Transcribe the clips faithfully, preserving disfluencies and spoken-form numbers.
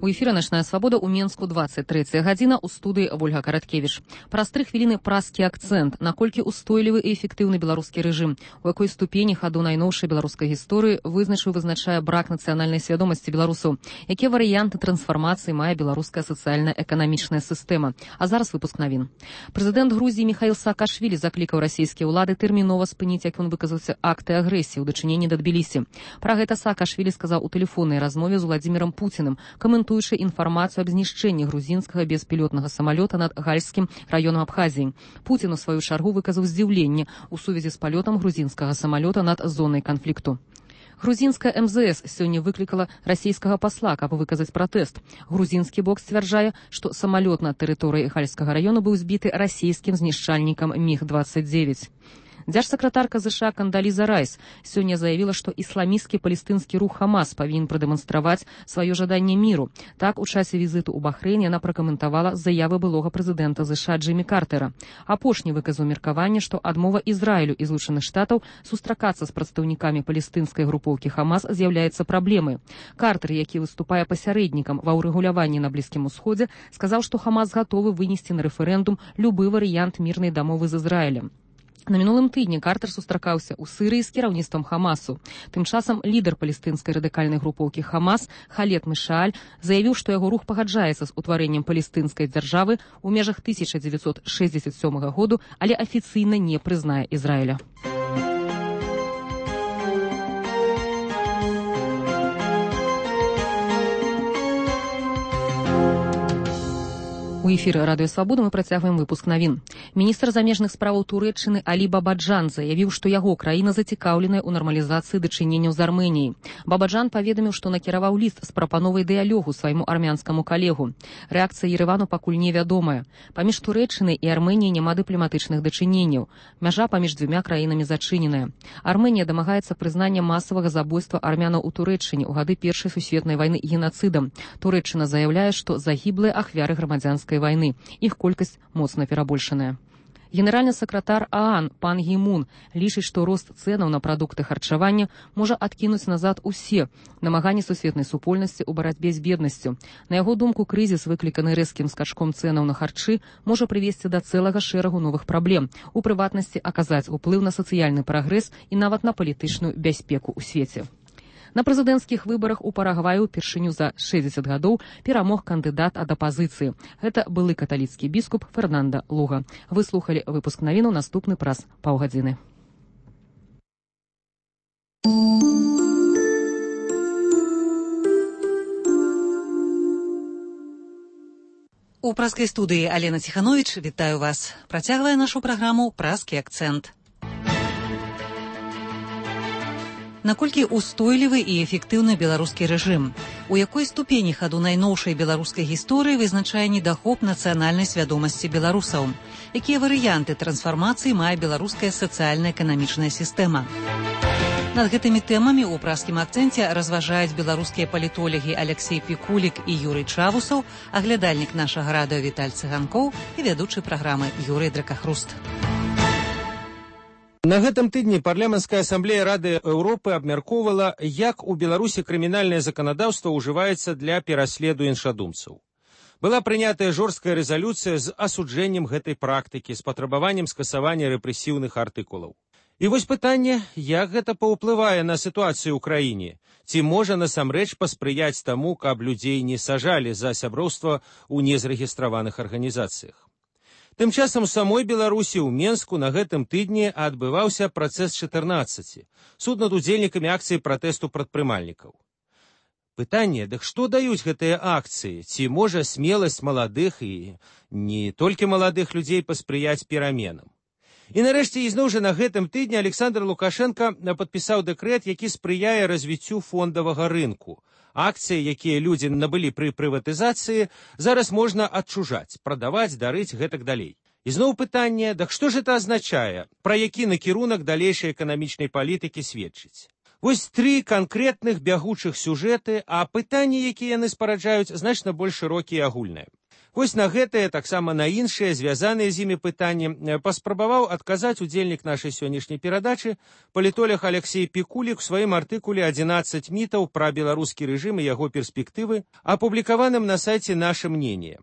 У эфіры «Начная свабода» у Менску двадцать третья гадзіна, у студыі Вольга Караткевіч. Праз тры хвіліны праскі акцэнт, наколькі устойлівы і эфектыўны беларускі рэжым, у якой ступені хаду найноўшай беларускай гісторыі вызначыў вызначае брак нацыянальнай свядомасці беларусаў, якія варыянты трансфармацыі мае беларуская сацыяльна-эканамічная сістэма. А зараз выпуск навін. Прэзідэнт Грузіі Міхаіл Саакашвілі заклікаў расійскія ўлады тэрмінова спыніць, як ён выказаўся, акты агрэсіі ў дачыненні да Тбілісі. Пра гэта Саакашвілі сказаў у тэлефоннай размове з Уладзімірам Пуціным, каментуючы інфармацыю аб знішчэнні грузінскага беспілотнага самалёта над Гальскім раёнам Абхазіі. Пуцін у сваю чаргу выказаў здзіўленне ў сувязі з палётам грузінскага самалёта над зонай канфлікту. Грузінская эм зэ эс сёння выклікала расійскага пасла, каб выказаць пратэст. Грузінскі бок сцвярджае, што самалёт на тэрыторыі Гальскага раёна быў збіты расійскім знішчальнікам міг двадцать девять. Дзяржсакратарка ЗША Кандаліза Райс сёння заявіла, што ісламісцкі палестынскі рух Хамас павінен прадэманстраваць сваё жаданне міру. Так, у часе візіту ў Бахрэйн яна пракаментавала заявы былога прэзідэнта ЗША Джиммі Картера. Апошні выказаў меркаванне, што адмова Ізраілю і Злучаных Штатаў сустракацца з прадстаўнікамі палестынскай групоўкі Хамас з'яўляецца праблемай. Картер, які выступае пасярэднікам ва ўрэгуляванні на Блізкім Усходзе, сказаў, што Хамас гатовы вынесці на рэферэндум любы варыянт мірнай дамовы з Ізраілем. На мінулым тыдні Картер сустракаўся ў Сырыі з кіраўніцтвам Хамасу. Тым часам лідар палестынскай радыкальнай групоўкі Хамас Халед Мешааль заявіў, што яго рух пагаджаецца з утварэннем палестынскай дзяржавы ў межах тысяча дзевяцьсот шэсцьдзесят сёмага году, але афіцыйна не прызнае Ізраіля. У эфіры Радыё Свабода мы працягваем выпуск навін. Міністр замежных справаў Турэччыны Алі Бабаджан заявіў, што яго краіна зацікаўленая ў нармалізацыі дачыненняў з Арменіяй. Бабаджан паведаміў, што накіраваў ліст з прапановай дыялогу свайму армянскаму калегу. Рэакцыя Ерэвану пакуль невядомая. Паміж Турэччынай і Арменіяй няма дыпламатычных дачыненняў. Мяжа паміж дзвюма краінамі зачыненая. Арменія дамагаецца прызнання масавага забойства армянаў у Турэччыне ў гады першай сусветнай вайны генацыдам. Турэччына заяўляе, што загіблыя ахвяры грамадзянскай войны. Их колькасць моцна перабольшаная. Генеральны сакратар ААН пан Гі Мун лічыць, што рост цэнаў на прадукты харчавання можа адкінуць назад усе намаганні сусветнай супольнасці ў барацьбе з беднасцю. На яго думку, крызіс, выкліканы рэзкім скачком цэнаў на харчы, можа прывесці да цэлага шэрагу новых праблем, у прыватнасці аказаць уплыў на сацыяльны прагрэс і нават на палітычную бяспеку ў свеце. На прэзідэнцкіх выбарах у Парагваі ўпершыню за шэсцьдзесят гадоў перамог кандыдат ад апазіцыі. Гэта былы каталіцкі біскуп Фернанда Луга. Вы слухалі выпуск навінаў, наступны праз паўгадзіны. У праскай студыі Алена Ціхановіч вітаю вас. Працягвае нашу праграму «Праскі акцэнт». Наколькі устойлівы і эфектыўны беларускі рэжым? У якой ступені хаду найноўшай беларускай гісторыі вызначае недахоп нацыянальнай свядомасці беларусаў? Якія варыянты трансфармацыі мае беларуская сацыяльна-эканамічная сістэма? Над гэтымі тэмамі ў праскім акцэнце разважаюць беларускія палітолагі Алексей Пікулік і Юрый Чавусаў, аглядальнік нашага радыё Віталь Цыганкоў і вядучы праграмы Юрый Дракахруст. На гэтым тыдні парламенцкая асамблея Рады Еўропы абмяркоўвала, як у Беларусі крымінальнае заканадаўства ўжываецца для пераследу іншадумцаў. Была прынятая жорсткая рэзалюцыя з асуджэннем гэтай практыкі, з патрабаваннем скасавання рэпрэсіўных артыкулаў. І вось пытанне, як гэта паўплывае на сітуацыю ў краіне? Ці можа насамрэч паспрыяць таму, каб людзей не сажалі за сяброўства ў незарэгістраваных арганізацыях? Тым часам у самой Беларусі ў Менску на гэтым тыдні адбываўся працэс чатырнаццаці, суд над удзельнікамі акцыі пратэсту прадпрымальнікаў. Пытанне, дык што даюць гэтыя акцыі? Ці можа смеласць маладых і не толькі маладых людзей паспрыяць пераменам? І нарэшце ізноў жа на гэтым тыдні Александр Лукашенко падпісаў дэкрэт, які спрыяе развіццю фондавага рынку. Акцыі, якія людзі набылі пры прыватызацыі, зараз можна адчужаць, прадаваць, дарыць гэтак далей. І зноў пытанне, дак што ж гэта азначае, пра які накірунак далейшай эканамічнай палітыкі сведчыць? Вось тры канкрэтных бягучых сюжэты, а пытанні, якія яны спараджаюць, значна больш шырокія і агульныя. Вось на гэтае, таксама на іншыя, звязаныя з імі пытанні, паспрабаваў адказаць удзельнік нашай сённяшняй перадачы, палітолог Алексей Пікулік у сваім артыкуле «адзінаццаць мітаў пра беларускі рэжым і яго перспектывы», апублікаваным на сайце «Наше мнение».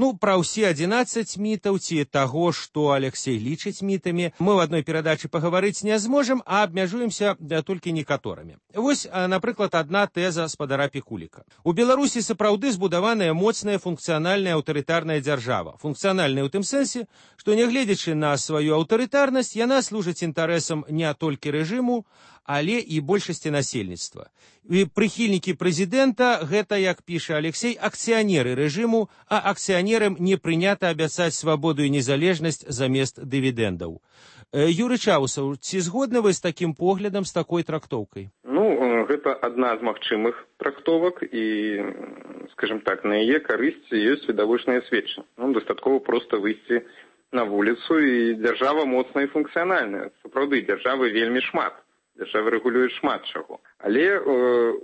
Ну, пра ўсе адзінаццаць мітаў ці таго, што Алексей лічыць мітамі, мы ў адной перадачы пагаварыць не зможам, а абмяжуемся толькі некаторымі. Вось, напрыклад, адна тэза спадара Пікуліка. У Беларусі сапраўды збудаваная моцная функцыянальная аўтарытарная дзяржава. Функцыянальная ў тым сэнсе, што нягледзячы на сваю аўтарытарнасць, яна служыць інтарэсам не толькі рэжыму, але і большасці насельніцтва. І прыхільнікі прэзідэнта, гэта, як піша Алексей, акцыянеры рэжыму, а акцыянерам не прынята абяцаць свабоду і незалежнасць замест дывідэндаў. Юрый Чаусаў, ці згодны вы з такім поглядам, з такой трактоўкай? Ну, гэта адна з магчымых трактовак і, скажем так, на яе карысць ёсць відавочныя сведчанні. Ну, дастаткова проста выйсці на вуліцу, і дзяржава моцная і функцыянальная. Сапраўды, дзяржавы вельмі шмат. Дзяржава рэгулюе шмат чаго. Але э,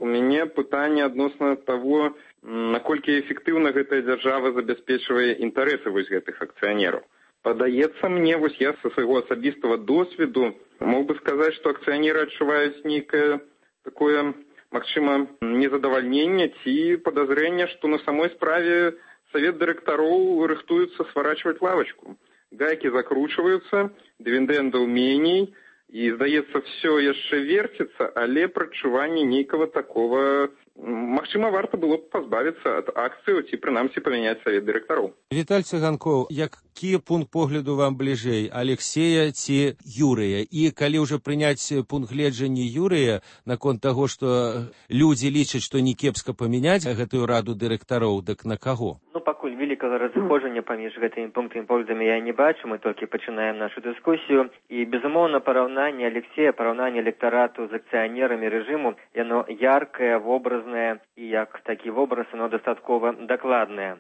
у мяне пытанне адносна таго, наколькі эфектыўна гэтая дзяржава забяспечвае інтарэсы вось гэтых акцыянераў. Падаецца мне, вось я са свайго асабістага досведу мог бы сказаць, што акцыянеры адчуваюць нейкае такое, магчыма, незадавальненне ці падазрэнне, што на самой справе савет дырэктароў рыхтуецца сварачваць лавачку. Гайкі закручваюцца, дывідэндаў меней, і, здаецца, все яшчэ верціцца, але прачуванне нейкага такого, магчыма, варта было б пазбавіцца ад акцыяў ці, прынамсі, памяняць савет дырэктароў. Віталь Цыганкоў, які пункт погляду вам бліжэй, Алексея ці Юрыя? І калі ўжо прыняць пункт гледжання Юрыя наконт таго, што людзі лічаць, што не кепска памяняць гэтую раду дырэктароў, дык на каго? Ну, пакуль великага разыходжання паміж гэтымі пунктамі поглядамі я не бачу, мы толькі пачынаем нашу дыскусію. І, безумоўна, параўнанне Алексея, параўнанне электарату з акцыянерамі рэжыму, яно яркае, вобразнае, і як такі вобраз, яно дастаткова дакладнае.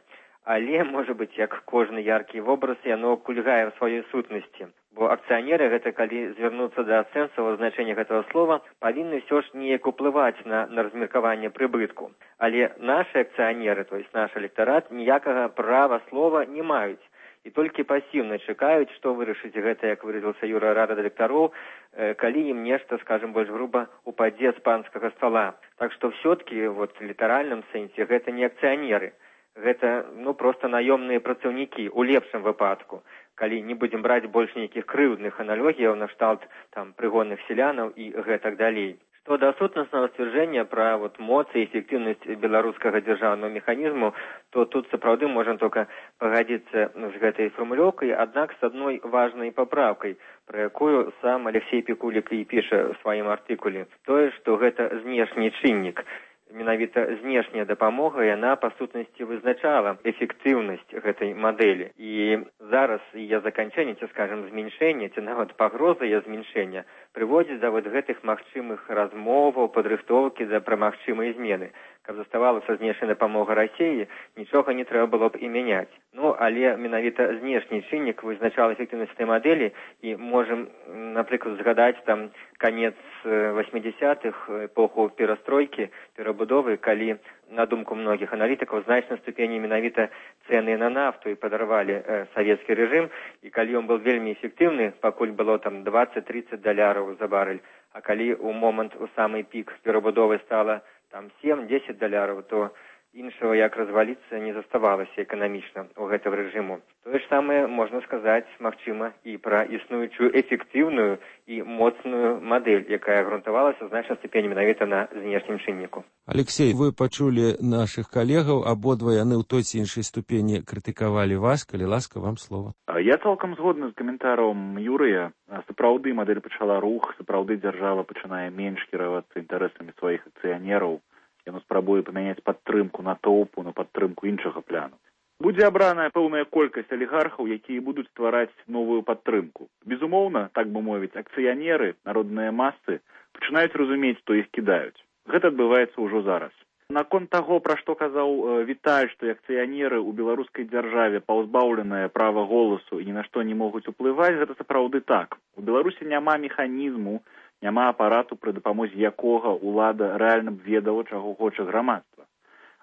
Але, можа быць, як кожны яркі вобраз, яно кульгае ў сваёй сутнасці. Бо акцыянеры, гэта калі звярнуцца да сэнсавага значэння гэтага слова, павінны ўсё ж неяк уплываць на, на размеркаванне прыбытку. Але нашы акцыянеры, то есть наш электарат, ніякага права слова не маюць. І толькі пасіўна чакаюць, што вырашыць гэта, як выразіўся Юра, рада дырэктароў, калі ім нешта, скажем, больш груба, упадзе з панскага стола. Так што ўсё-ткі, вот, в літаральным сэнсе, гэта не акцыянеры. Гэта, ну, проста наёмныя працаўнікі, у лепшым выпадку, калі не будзем браць больш нейкіх крыўдных аналогіяў на кшталт там прыгонных селянаў і гэтак далей. Што да сутнаснага сцвярджэння пра вот моц і эфектыўнасць беларускага дзяржаўнага механізму, то тут сапраўды можам толькі пагадзіцца з гэтай фармулёўкай, аднак з адной важнай папраўкай, пра якую сам Алексей Пікулік і піша ў сваім артыкуле. Тое, што гэта знешні чыннік. Менавіта знешняя дапамога, яна па сутнасці вызначала эфектыўнасць гэтай мадэлі. І зараз яе заканчэнне, ці, скажем, зменшэнне, ці нават пагроза яе зменшэння прыводзіць да вот гэтых магчымых размоваў, падрыхтоўкі да пра магчымыя змены. Каб заставалася знешняя дапамога Расіі, нічога не трэба было б і мяняць. Ну, але менавіта знешні чыннік вызначала эфектыўнасць этой мадэлі, і можам, напрыклад, згадаць там канец восьмідзесятых, эпоху перастройкі, перабудовы, калі, на думку многіх аналітыкаў, значнай ступені менавіта цэны на нафту і падарвалі э, савецкі рэжым, і калі ён быў вельмі эфектыўны, пакуль было там дваццаць-трыццаць даляраў за барэль, а калі ў момант у самы пік перабудовы стала там сем-дзесяць даляраў, то іншага, як разваліцца, не заставалася эканамічна ў гэтага рэжыму. Тое ж самае можна сказаць, магчыма, і пра існуючую эфектыўную і моцную мадэль, якая грунтавалася значнай ступені менавіта на знешнім чынніку. Алексей, вы пачулі нашых калегаў, абодва яны ў той ці іншай ступені крытыкавалі вас, калі ласка, вам слова. Я цалкам згодны з каментарам Юрыя. Сапраўды мадэль пачала рух, сапраўды дзяржава пачынае менш кіравацца інтарэсамі сваіх акцыянераў. Яно спрабуе памяняць падтрымку натоўпу на падтрымку іншага пляну. Будзе абраная пэўная колькасць алігархаў, якія будуць ствараць новую падтрымку. Безумоўна, так бы мовіць, акцыянеры, народныя масы пачынаюць разумець, што іх кідаюць. Гэта адбываецца ўжо зараз. Наконт таго, пра што казаў Віталь, што акцыянеры ў беларускай дзяржаве паўзбаўленыя права голасу і ні на што не могуць уплываць, гэта сапраўды так. У Беларусі няма механізму, няма апарату, пры дапамозе якога ўлада рэальна б ведала, чаго хоча грамадства.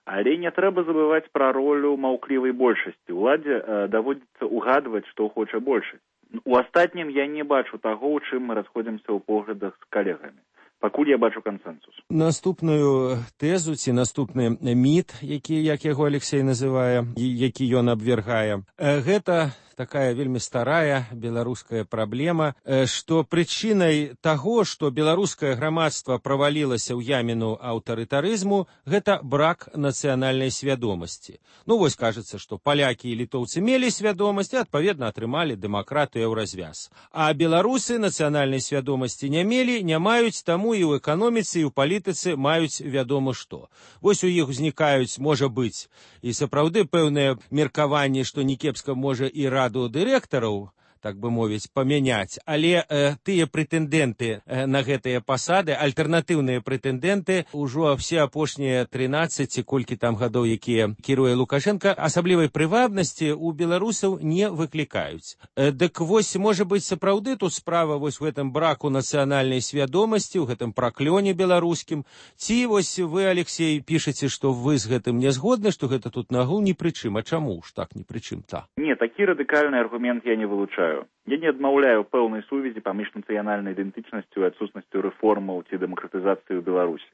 Але не трэба забываць пра ролю маўклівай большасці. Уладзе э, даводзіцца угадваць, што хоча большасць. У астатнім я не бачу таго, у чым мы расходзімся ў поглядах з калегамі. Пакуль я бачу кансэнсус. Наступную тэзу ці наступны міт, які, як яго Алексей называе, які ён абвяргае, гэта такая вельмі старая беларуская праблема, што прычынай таго, што беларускае грамадства правалілася ў яміну аўтарытарызму, гэта брак нацыянальнай свядомасці. Ну вось кажацца, што палякі і літоўцы мелі свядомасць і адпаведна атрымалі дэмакратыю ў развяз. А беларусы нацыянальнай свядомасці не мелі, не маюць, таму і ў эканоміцы, і ў палітыцы маюць вядома што. Вось у іх узнікаюць, можа быць, і сапраўды пэўнае меркаванне, што некепска можа і раду дырэктараў, так бы мовіць, памяняць, але э, тыя прэтэндэнты э, на гэтыя пасады, альтэрнатыўныя прэтэндэнты, ужо все апошнія трынаццаць ці колькі там гадоў, якія кіруе Лукашенко, асаблівай прывабнасці у беларусаў не выклікаюць. Э, дык вось, можа быць, сапраўды тут справа вось в гэтым браку нацыянальнай свядомасці, у гэтым праклёне беларускім, ці вось вы, Алексей, пішаце, што вы з гэтым не згодны, што гэта тут нагул ні пры чым, а чаму ж так ні пры чым та? Не, такі радыкальны аргумент я не вылучаю. Я не адмаўляю пэўнай сувязі паміж нацыянальнай ідэнтычнасцю і адсутнасцю рэформаў ці дэмакратызацыі ў Беларусі.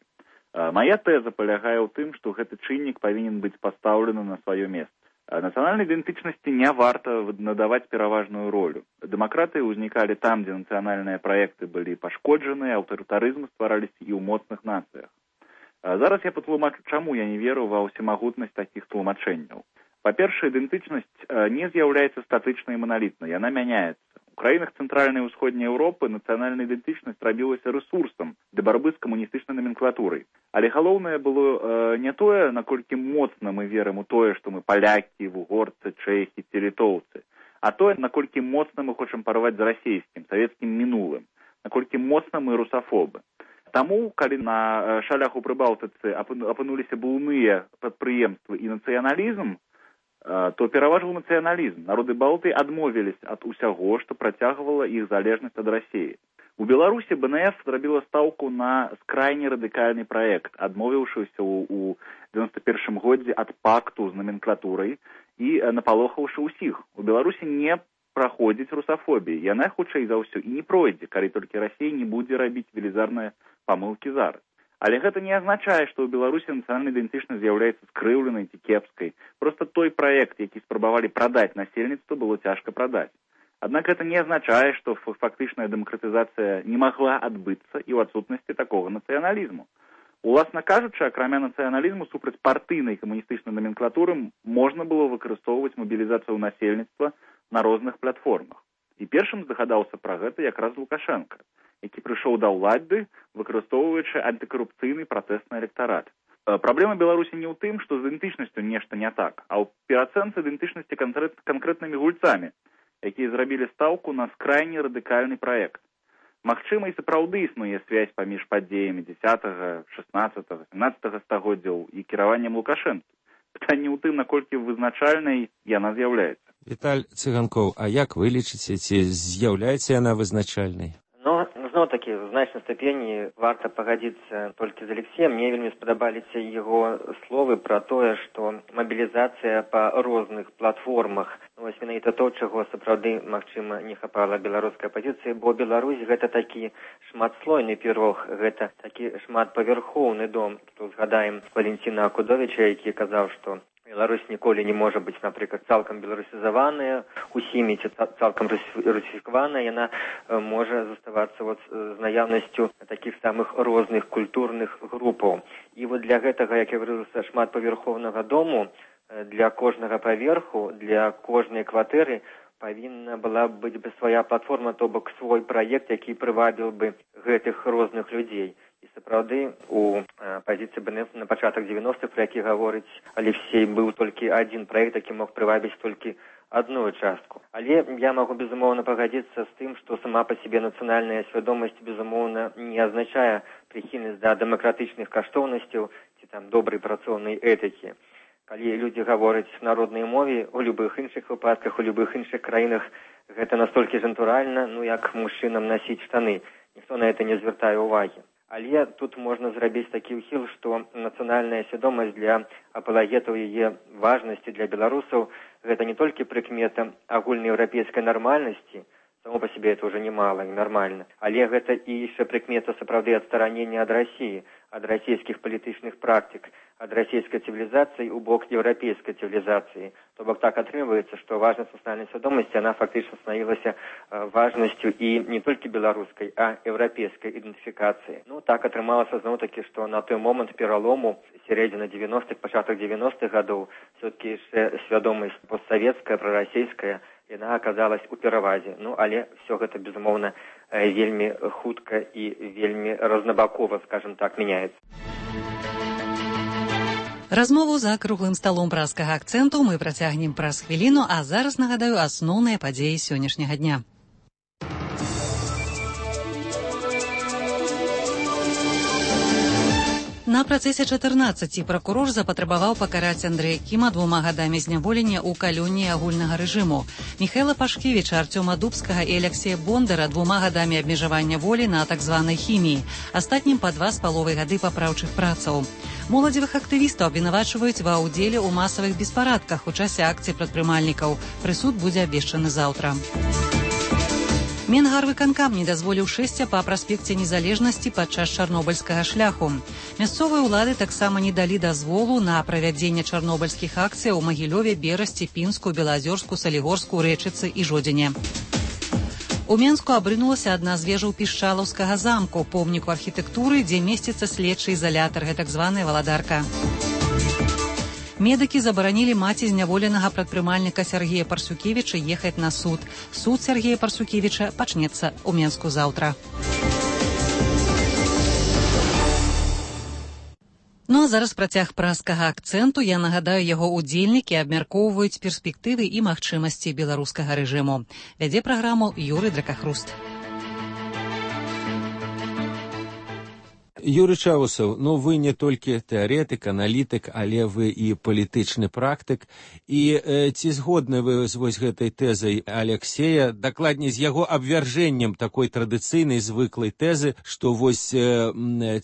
Мая тэза палягае ў тым, што гэты чыннік павінен быць пастаўлены на сваё месца. Нацыянальнай ідэнтычнасці не варта надаваць пераважную ролю. Дэмакратыі ўзнікалі там, дзе нацыянальныя праекты былі пашкоджаны, аўтарытарызмы ствараліся і ў моцных нацыях. Зараз я патлумачу, чаму я не веру ва ўсемагутнасць такіх тлумачэнняў. Па-першае, ідэнтычнасць не з'яўляецца статычнай і маналітнай, яна мяняецца. У краінах цэнтральнай і ўсходняй Еўропы нацыянальная ідэнтычнасць рабілася рэсурсам для барбы з камуністычнай наменклатурай. Але галоўнае было э, не тое, наколькі моцна мы верым у тое, што мы палякі, вугорцы, чэхі ці літоўцы, а тое, наколькі моцна мы хочам парваць з расійскім, савецкім мінулым, наколькі моцна мы русафобы. Таму, калі на шалях у Прыбалтыцы апынуліся буйныя прадпрыемствы і нацыяналізм, то пераважыў нацыяналізм. Народы Балтыі адмовіліся ад усяго, што працягвала іх залежнасць ад Расіі. У Беларусі бэ эн эф зрабіла стаўку на скрайне радыкальны праект, адмовіўшыся ў дзевяносто першым годзе ад пакту з наменклатурай і напалохаўшы ўсіх. У Беларусі не праходзіць русафобія. Яна, хутчэй за ўсё, і не пройдзе, калі толькі Расія не будзе рабіць велізарныя памылкі зараз. Але гэта не азначае, што ў Беларусі нацыянальная ідэнтычнасць з'яўляецца скрыўленай ці кепскай. Проста той праект, які спрабавалі прадаць насельніцтву, было цяжка прадаць. Аднак гэта не азначае, што фактычная дэмакратызацыя не магла адбыцца і ў адсутнасці такога нацыяналізму. Уласна кажучы, акрамя нацыяналізму супраць партыйнай камуністычнай наменклатуры можна было выкарыстоўваць мабілізацыю насельніцтва на розных платформах. І першым здагадаўся пра гэта якраз Лукашенко, які прыйшоў да ўлады, выкарыстоўваючы антыкарупцыйны пратэсны электарат. Праблема Беларусі не ў тым, што з ідэнтычнасцю нешта не так, а ў пераацэнцы ідэнтычнасці канкрэтнымі гульцамі, якія зрабілі стаўку на скрайне радыкальны праект. Магчыма, і сапраўды існуе связь паміж падзеямі дзесятага, шаснаццатага, сямнаццатага стагоддзяў і кіраваннем Лукашэнкі. Пытанне ў тым, наколькі вызначальнай яна з'яўляецца. Віталь Цыганкоў, а як вы лічыце, ці з'яўляецца яна вызначальнай? Зноў-такі, в значнай ступені варта пагадзіцца толькі з Алексеем. Мне вельмі спадабаліся яго словы пра тое, што мабілізацыя па розных платформах, вось менавіта то, чаго сапраўды, магчыма, не хапала беларускай апазіцыі, бо Беларусь гэта такі шматслойны пірог, гэта такі шматпавярхоўны дом. Тут згадаем Валентина Акудовіча, які казаў, што Беларусь ніколі не можа быць, напрыклад, цалкам беларусізаваная, усімі ці цалкам русіфікаваная, яна можа заставацца вот з наяўнасцю такіх самых розных культурных групаў. І вот для гэтага, як я говорю, шматпавярхоўнага дому, для кожнага паверху, для кожнай кватэры павінна была быць бы свая платформа, то бок свой праект, які прывабіў бы гэтых розных людзей. І сапраўды у пазіцыі бэ эн эф на пачатак дзевяностых, пра які гаворыць Алексей, быў толькі адзін праект, які мог прывабіць толькі адну частку. Але я магу, безумоўна, пагадзіцца з тым, што сама па сябе нацыянальная свядомасць, безумоўна, не азначае прыхільнасць да дэмакратычных каштоўнасцяў ці там добрай працоўнай этыкі. Калі людзі гавораць на роднай мове, у любых іншых выпадках, у любых іншых краінах, гэта настолькі ж натуральна, ну як мужчынам насіць штаны. Ніхто на гэта не звяртае ўвагі. Але тут можна зрабіць такі ўхіл, што нацыянальная свядомасць для апалагетаў яе важнасці для беларусаў гэта не толькі прыкмета агульнаеўрапейскай нармальнасці, само по себе это уже немало, нормально. Але гэта і яшчэ прыкмета сапраўды адстаранення ад России, ад расійскіх палітычных практык, ад расійскай цывілізацыі ў бок еўрапейскай цывілізацыі. То бок так атрымліваецца, што важнасць нацыянальнай свядомасці, она фактычна становілася важнасцю і не толькі беларускай, а еўрапейскай ідэнтыфікацыі. Ну, так атрымалася зноў-такі, што на той момант пералому сярэдзіна дзевяностых, пачатак дзевяностых гадоў все-таки яшчэ свядомасць постсавецкая, прарасійская, яна аказалась у перавазе. Ну, але все гэта, безумоўна, вельмі хутка і вельмі рознабакова, скажем так, мяняецца. Размову за круглым сталом праскага акцэнту мы працягнем праз хвіліну, а зараз нагадаю асноўныя падзеі сённяшняга дня. На працэсе чатырнаццаці пракурор запатрабаваў пакараць Андрэя Кіма двума гадамі зняволення ў калоніі агульнага рэжыму, Міхаіла Пашкевіча, Арцёма Дубскага і Аляксея Бондара двума гадамі абмежавання волі на так званай хіміі, астатнім па два з паловай гады папраўчых працаў. Моладзевых актывістаў абвінавачваюць ва ўдзеле ў масавых беспарадках у часе акцый прадпрымальнікаў. Прысуд будзе абвешчаны заўтра. Менгарвыканкам не дазволіў шэсця па праспекце незалежнасці падчас чарнобыльскага шляху. Мясцовыя ўлады таксама не далі дазволу на правядзенне чарнобыльскіх акцый у Магілёве, Берасці, Пінску, Белазёрску, Салігорску, Рэчыцы і Жодзіне. У Менску абрынулася адна з вежаў пішчалаўскага замку, помніку архітэктуры, дзе месціцца следчы ізалятар, гэтак званая валадарка. Медыкі забаранілі маці зняволенага прадпрымальніка Сергея Парсюкевіча ехаць на суд. Суд Сергея Парсюкевіча пачнецца ў Менску заўтра. Ну а зараз працяг праскага акцэнту. Я нагадаю, яго удзельнікі абмяркоўваюць перспектывы і магчымасці беларускага рэжыму. Вядзе праграму Юрый Дракахруст. Юрий Чаусаў, ну вы не толькі тэарэтык, аналітык, але вы і палітычны практык. І э, ці згодны вы з вось гэтай тэзай Аляксея, дакладней з яго абвяржэннем такой традыцыйнай звыклай тэзы, што вось э,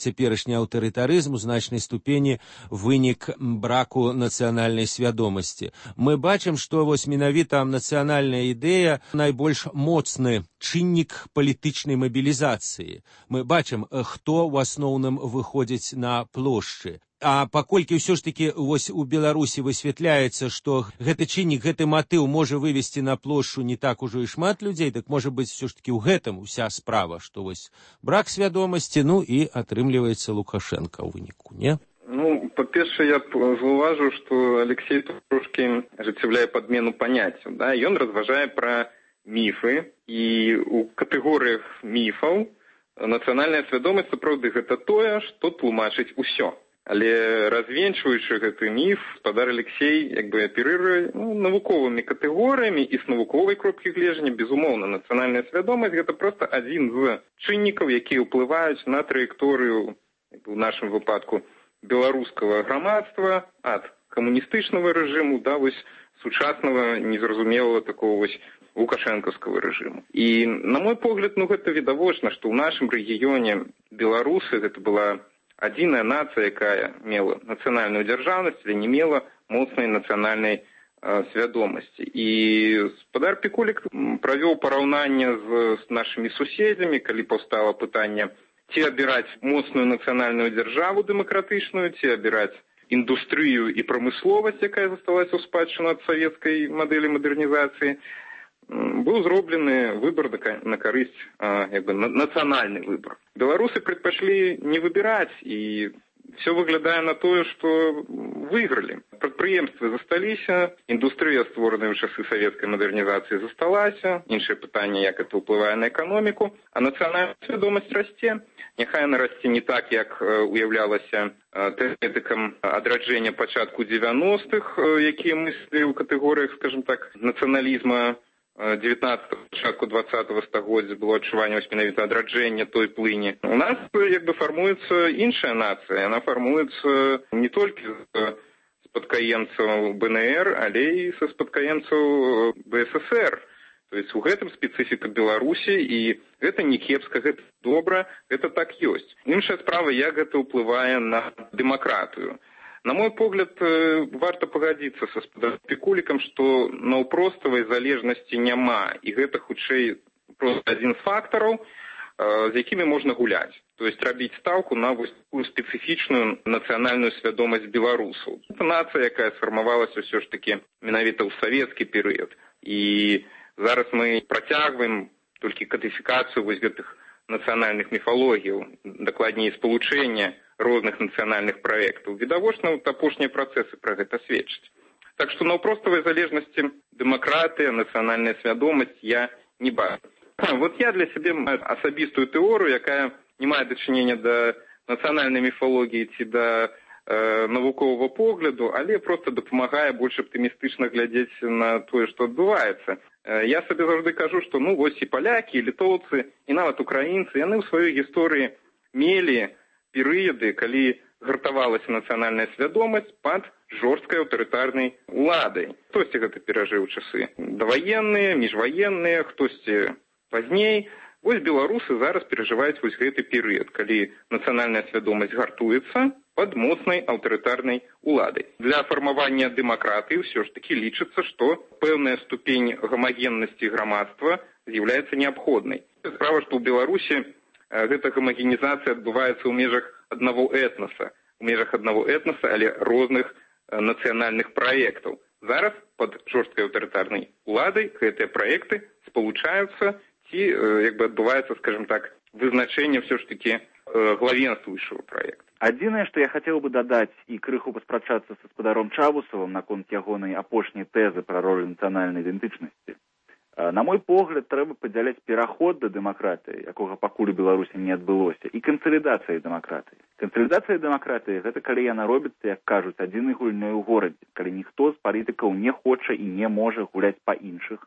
цяперашні аўтарытарызм у значнай ступені вынік браку нацыянальнай свядомасці. Мы бачым, што вось менавіта нацыянальная ідэя найбольш моцны чыннік палітычнай мабілізацыі. Мы бачым, хто ў асноўным выходзіць на плошчы. А паколькі ўсё ж такі вось у Беларусі высвятляецца, што гэты чыннік, гэты матыў можа вывесці на плошчу не так ужо і шмат людзей, так можа быць ўсё ж такі ў гэтым уся справа, што вось брак свядомасці, ну і атрымліваецца Лукашенка ў выніку, не? Ну, па-першае, я заўважу, што Алексей трошкі ажыццяўляе падмену паняццяў. Да? Ён разважае пра міфы, і ў катэгорыях міфаў нацыянальная свядомасць сапраўды гэта тое, што тлумачыць усё. Але развенчваючы гэты міф, гаспадар Алексей як бы аперыруе ну, навуковымі катэгорыямі і з навуковай кропкі гледжання. Безумоўна, нацыянальная свядомасць гэта проста адзін з чыннікаў, якія ўплываюць на траекторыю, у нашым выпадку, беларускага грамадства ад камуністычнага рэжыму да вось сучаснага незразумелага такого вось лукашэнкаўскага рэжыму. І, на мой погляд, ну гэта відавочна, што ў нашым рэгіёне беларусы гэта была адзіная нацыя, якая мела нацыянальную дзяржаўнасць, але не мела моцнай нацыянальнай э, свядомасці. І гаспадар Пікулік правёў параўнанне з, з нашымі суседзямі, калі паўстала пытанне, ці абіраць моцную нацыянальную дзяржаву дэмакратычную, ці абіраць індустрыю і прамысловасць, якая засталася ў спадчыну ад савецкай мадэлі мадэрнізацыі. Быў зроблены выбор на карысць, як бы, нацыянальны выбор. Беларусы предпачлі не выбіраць, і все выглядае на тое, што выйгралі. Прадпрыемствы засталіся, індустрыя, створаная ў часы савецкай мадэрнізацыі, засталася. Іншае пытанне, як это ўплывае на эканоміку. А нацыянальная свядомасць расце. Няхай яна расце не так, як уяўлялася тэарэтыкам адраджэння пачатку дзевяностых, якія мыслілі ў катэгорыях, скажем так, нацыяналізма дзевятнаццатага, пачатку дваццатага стагоддзя было адчуванне вось менавіта адраджэння той плыні. У нас як бы фармуецца іншая нацыя, яна фармуецца не толькі з спадкаемцаў бэ эн эр, але і са спадкаемцаў бэ эс эс эр. То есть у гэтым спецыфіка Беларусі, і гэта не кепска, гэта добра, гэта так ёсць. Іншая справа, як гэта ўплывае на дэмакратыю. На мой погляд, варта пагадзіцца са спекулікам, што наўпроставай залежнасці няма, і гэта хутчэй проста адзін з фактараў, з якімі можна гуляць. То есть рабіць стаўку на вось такую спецыфічную нацыянальную свядомасць беларусаў. Гэта нацыя, якая сфармавалася ўсё ж такі менавіта ў савецкі перыяд. І зараз мы працягваем толькі кадыфікацыю вось гэтых нацыянальных міфалогіяў, дакладней спалучэння розных нацыянальных праектаў. Відавочна, вот апошнія працэсы пра гэта сведчаць. Так што наўпроставай залежнасці дэмакратыя, нацыянальная свядомасць я не бачу. Вот я для сябе маю асабістую тэорыю, якая не мае дачынення да нацыянальнай міфалогіі ці да э, навуковага погляду, але проста дапамагае больш аптымістычна глядзець на тое, што адбываецца. Э, я сабе заўжды кажу, што ну вось і палякі, і літоўцы, і нават украінцы, яны ў сваёй гісторыі мелі перыяды, калі гартавалася нацыянальная свядомасць пад жорсткай аўтарытарнай уладай. Хтосьці гэта перажыў часы даваенныя, міжваенныя, хтосьці пазней. Вось беларусы зараз перажываюць вось гэты перыяд, калі нацыянальная свядомасць гартуецца пад моцнай аўтарытарнай уладай. Для фармавання дэмакратыі ўсё ж такі лічыцца, што пэўная ступень гамагеннасці грамадства з'яўляецца неабходнай. Справа, што ў Беларусі гэта гамагенізацыя адбываецца ў межах аднаго этнаса, у межах аднаго этнаса, але розных нацыянальных праектаў. Зараз пад жорсткай аўтарытарнай уладай гэтыя праекты спалучаюцца, ці як бы адбываецца, скажем так, вызначэнне ўсё ж такі главенствуючага праекта. Адзінае, што я хацеў бы дадаць і крыху паспрачацца са спадаром Чавусавым наконт ягонай апошняй тэзы пра ролю нацыянальнай ідэнтычнасці. На мой погляд, трэба падзяляць пераход да дэмакратыі, якога пакуль у Беларусі не адбылося, і кансалідацыяй дэмакратыі. Кансалідацыя дэмакратыі – гэта калі яна робіцца, як кажуць, адзінай гульнёй у горадзе, калі ніхто з палітыкаў не хоча і не можа гуляць па іншых,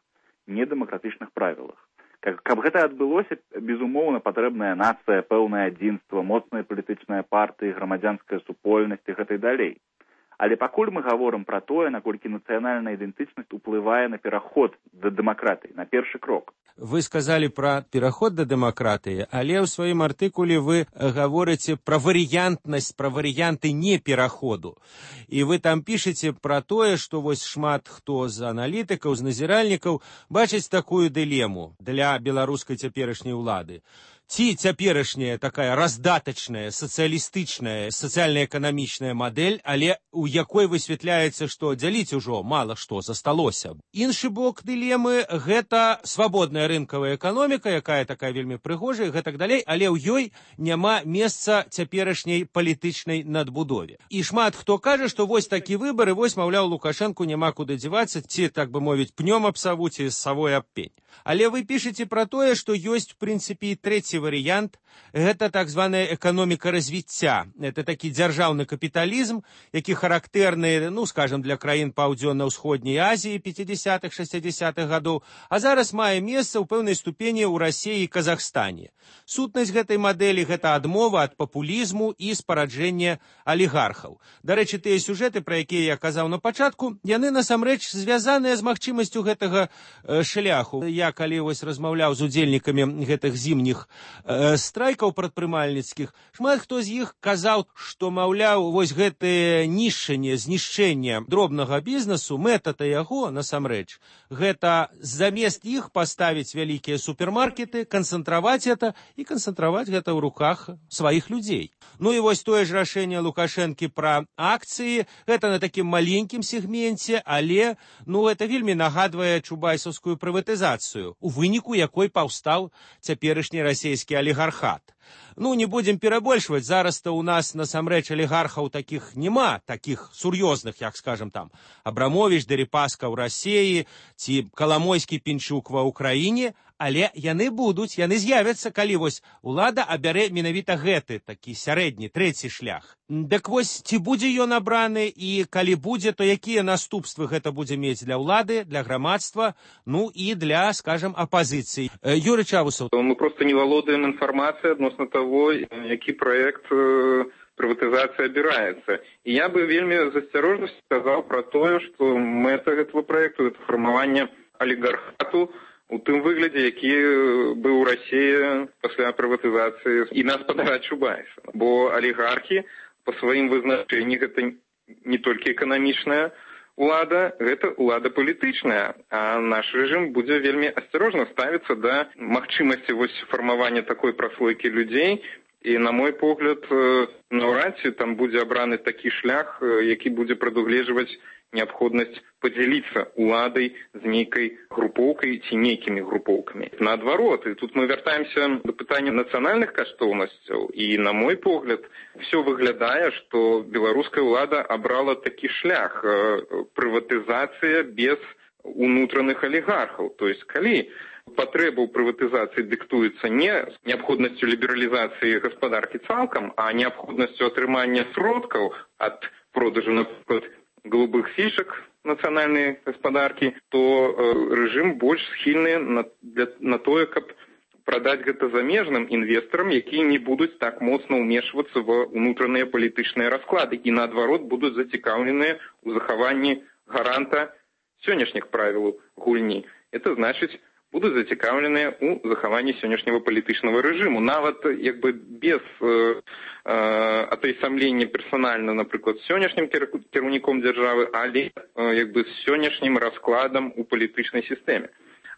недэмакратычных правілах. Каб гэта адбылося, безумоўна, патрэбная нацыя, пэўнае адзінства, моцныя палітычныя партыі, грамадзянская супольнасць і гэтак далей. Але пакуль мы гаворым пра тое, наколькі нацыянальная ідэнтычнасць уплывае на пераход да дэмакратыі, на першы крок. Вы сказалі пра пераход да дэмакратыі, але ў сваім артыкуле вы гаворыце пра варыянтнасць, пра варыянты не пераходу. І вы там пішаце пра тое, што вось шмат хто з аналітыкаў, з назіральнікаў бачыць такую дылему для беларускай цяперашняй улады. Ці цяперашняя такая раздатачная, сацыялістычная, сацыяльна-эканамічная мадэль, але у якой высвятляецца, што дзяліць ужо мала што засталося. Іншы бок дылемы – гэта свабодная рынкавая эканоміка, якая такая вельмі прыгожая, гэтак далей, але ў ёй няма месца цяперашняй палітычнай надбудове. І шмат хто кажа, што вось такі выбар, і вось, маўляў, Лукашэнку няма куды дзявацца, ці, так бы мовіць, пнём аб саву, ці савой аб пень. Але вы пішаце пра тое, што ёсць, в прынцыпе, і трэці варыянт – гэта так званая эканоміка развіцця. Это такі дзяржаўны капіталізм, які характэрны, ну, скажам, для краін Паўдзённа-ўсходняй Азіі пяцідзясятых шэсцідзясятых гадоў, а зараз мае месца ў пэўнай ступені ў Расіі і Казахстане. Сутнасць гэтай мадэлі – гэта адмова ад папулізму і спараджэння алігархаў. Дарэчы, тыя сюжэты, пра якія я казаў на пачатку, яны насамрэч звязаныя з магчымасцю гэтага э, шляху. Я калі вось размаўляў з удзельнікамі гэтых зімніх э, страйкаў прадпрымальніцкіх, шмат хто з іх казаў, што, маўляў, вось гэтае нішчанне, знішчэнне дробнага бізнесу, мэта-то яго, насамрэч, гэта замест іх паставіць вялікія супермаркеты, канцэнтраваць гэта і канцэнтраваць гэта ў руках сваіх людзей. Ну і вось тое ж рашэнне Лукашэнкі пра акцыі, гэта на такім маленькім сегменце, але, ну, гэта вельмі нагадвае чубайсаўскую прыватызацыю, у выніку якой паўстаў цяперашні расійскі алігархат. Ну, не будем перабольшваць, зараз-то у нас насамрэч алігархаў такіх няма, такіх сур'ёзных, як, скажем, там, Абрамовіч, Дерипаска ў Расіі, ці Каламойскі, Пінчук ва Ўкраіне, але яны будуць, яны з'явяцца, калі вось улада абярэ менавіта гэты, такі сярэдні, трэці шлях. Дык вось, ці будзе ён абраны, і калі будзе, то якія наступствы гэта будзе мець для ўлады, для грамадства, ну і для, скажем, апазіцыі. Юрый Чавусаў. Мы просто не валодаем інфармацыяй адносно того, які праект прыватызацыі абіраецца. І я бы вельмі з асцярожнасцю сказаў пра тое, што мэта гэтага праекту – гэта фармаванне алігархату у тым выглядзе, які быў у Расіі пасля прыватызацыі імя спадара Чубайса. Бо алігархі па сваім вызначэнні гэта не толькі эканамічная улада, гэта улада палітычная, а наш рэжым будзе вельмі асцярожна ставіцца да магчымасці вось фармавання такой праслойкі людзей. І, на мой погляд, наўрад ці там будзе абраны такі шлях, які будзе прадугледжваць неабходнасць падзяліцца уладай з нейкай групоўкай ці нейкімі групоўкамі. Наадварот, і тут мы вяртаемся да пытання нацыянальных каштоўнасцяў, і, на мой погляд, все выглядае, што беларуская ўлада абрала такі шлях прыватызацыя без унутраных алігархаў. То есть, калі патрэба ў прыватызацыі дыктуецца не неабходнасцю лібералізацыі гаспадаркі цалкам, а неабходнасцю атрымання сродкаў ад продажу, напрыклад, голубых фішак нацыянальнай гаспадаркі, то э, рэжым больш схільны на, для, на тое, каб прадаць гэта замежным інвестарам, якія не будуць так моцна ўмешвацца ва ўнутраныя палітычныя расклады і, наадварот, будуць зацікаўленыя ў захаванні гаранта сённяшніх правілаў гульні. Это значыць, будуць зацікаўленыя ў захаванні сённяшняга палітычнага рэжыму. Нават як бы без э, э, атайсамлення персанальна, напрыклад, з сённяшнім кіраўніком дзяржавы, але э, як бы з сённяшнім раскладам у палітычнай сістэме.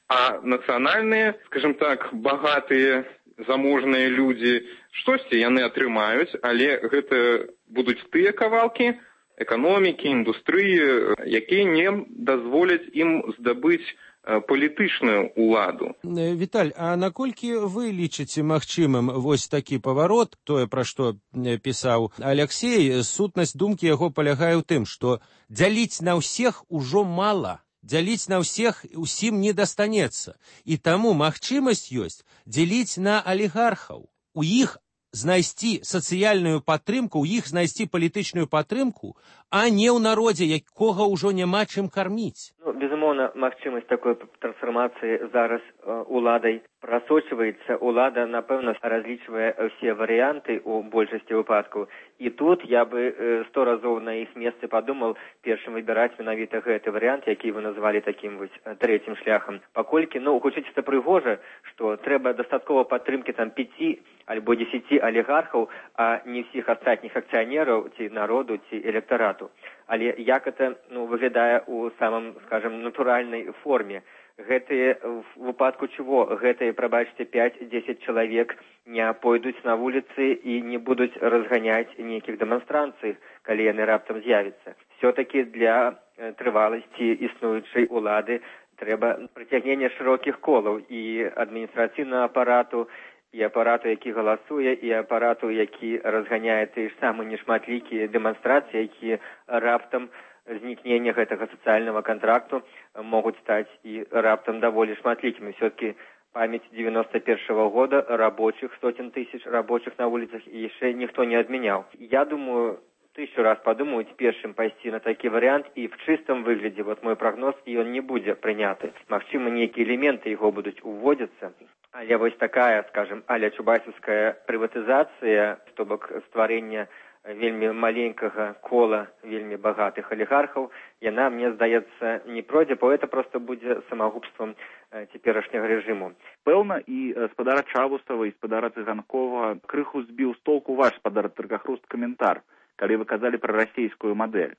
А нацыянальныя, скажем так, багатыя, заможныя людзі, штосьці яны атрымаюць, але гэта будуць тыя кавалкі эканомікі, індустрыі, якія не дазволяць ім здабыць палітычную ўладу. Віталь, а наколькі вы лічыце магчымым вось такі паварот, тое, пра што пісаў Аляксей, сутнасць думкі яго палягае ў тым, што дзяліць на ўсіх ужо мала, дзяліць на ўсіх усім не дастанецца. І таму магчымасць ёсць дзяліць на алігархаў. У іх знайсці сацыяльную падтрымку, у іх знайсці палітычную падтрымку, а не ў народзе, якога ўжо няма чым карміць. Ну, безумоўна, магчымасць такой трансфармацыі зараз э, уладай прасочваецца. Улада, напэўна, разлічвае ўсе варыянты ў большасці выпадкаў. І тут я бы э, сто разоў на іх месцы падумаў першым выбіраць менавіта гэты варыянт, які вы назвалі такім вось трэцім шляхам. Паколькі, ну, гучыць это прыгожа, што трэба дастаткова падтрымкі там пяці альбо дзесяці алігархаў, а не ўсіх астатніх акцыянераў ці народу, ці электарату. Але як это, ну, выглядае ў самым, скажем, натуральнай форме. Гэтые, в выпадку чего, гэтые, прабачце, пяць-дзесяць чалавек не пойдуць на вуліцы і не будуць разганяць нейкіх дэманстрацый, калі яны раптам з'явяцца. Все-таки для трываласці існуючай улады трэба прыцягнення шырокіх колаў і адміністрацыйнага апарату, і апарату, які галасуе, і апарату, які разганяе тыя ж самыя нешматлікія дэманстрацыі, якія раптам знікнення гэтага сацыяльнага контракту могуць стаць і раптам даволі шматлікімі. Все-таки памяць девяносто первого года рабочих, сотен тысяч рабочих на улицах яшчэ ніхто не адмяняў. Я думаю, тысячу раз подумаюць першым пайсці на такі варыянт, і в чыстым выглядзе, вот мой прагноз, і ён не будзе прыняты. Магчыма, нейкія элементы яго будуць уводзіцца. Але вось такая, скажем, аля чубайсаўская прыватызацыя, то бок стварэння вельмі маленькага кола вельмі багатых алігархаў, яна, мне здаецца, не пройдзе, бо это просто будзе самагубствам цяперашняга рэжыму. Пэўна, і спадара Чавусава, і спадара Цыганкова крыху збіў з толку ваш спадар Таргахруст каментар, калі вы казалі пра расійскую мадэль.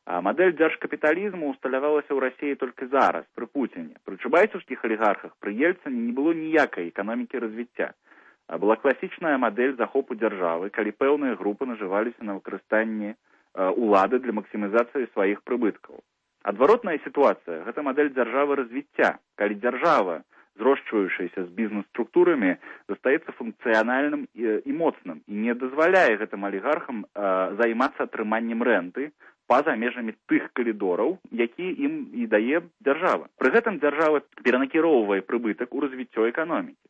А мадэль дзяржкапіталізму усталявалася ў Расіі толькі зараз, пры Пуціне. Пры чубайсаўскіх алігархах, пры Ельцыне не было ніякай эканомікі развіцця. А была класічная мадэль захопу дзяржавы, калі пэўныя групы нажываліся на выкарыстанні улады для максімізацыі сваіх прыбыткаў. Адваротная сітуацыя – гэта мадэль дзяржавы развіцця, калі дзяржава, зрошчваючаяся з бізнес-структурамі, застаецца функцыянальным і, і моцным, і не дазваляе гэтым алігархам а, займацца атрыманнем рэнты па-за межамі тых калідораў, які ім і дае дзяржава. Пры гэтым дзяржава перанакіроўвае прыбытак у развіццё эканомікі.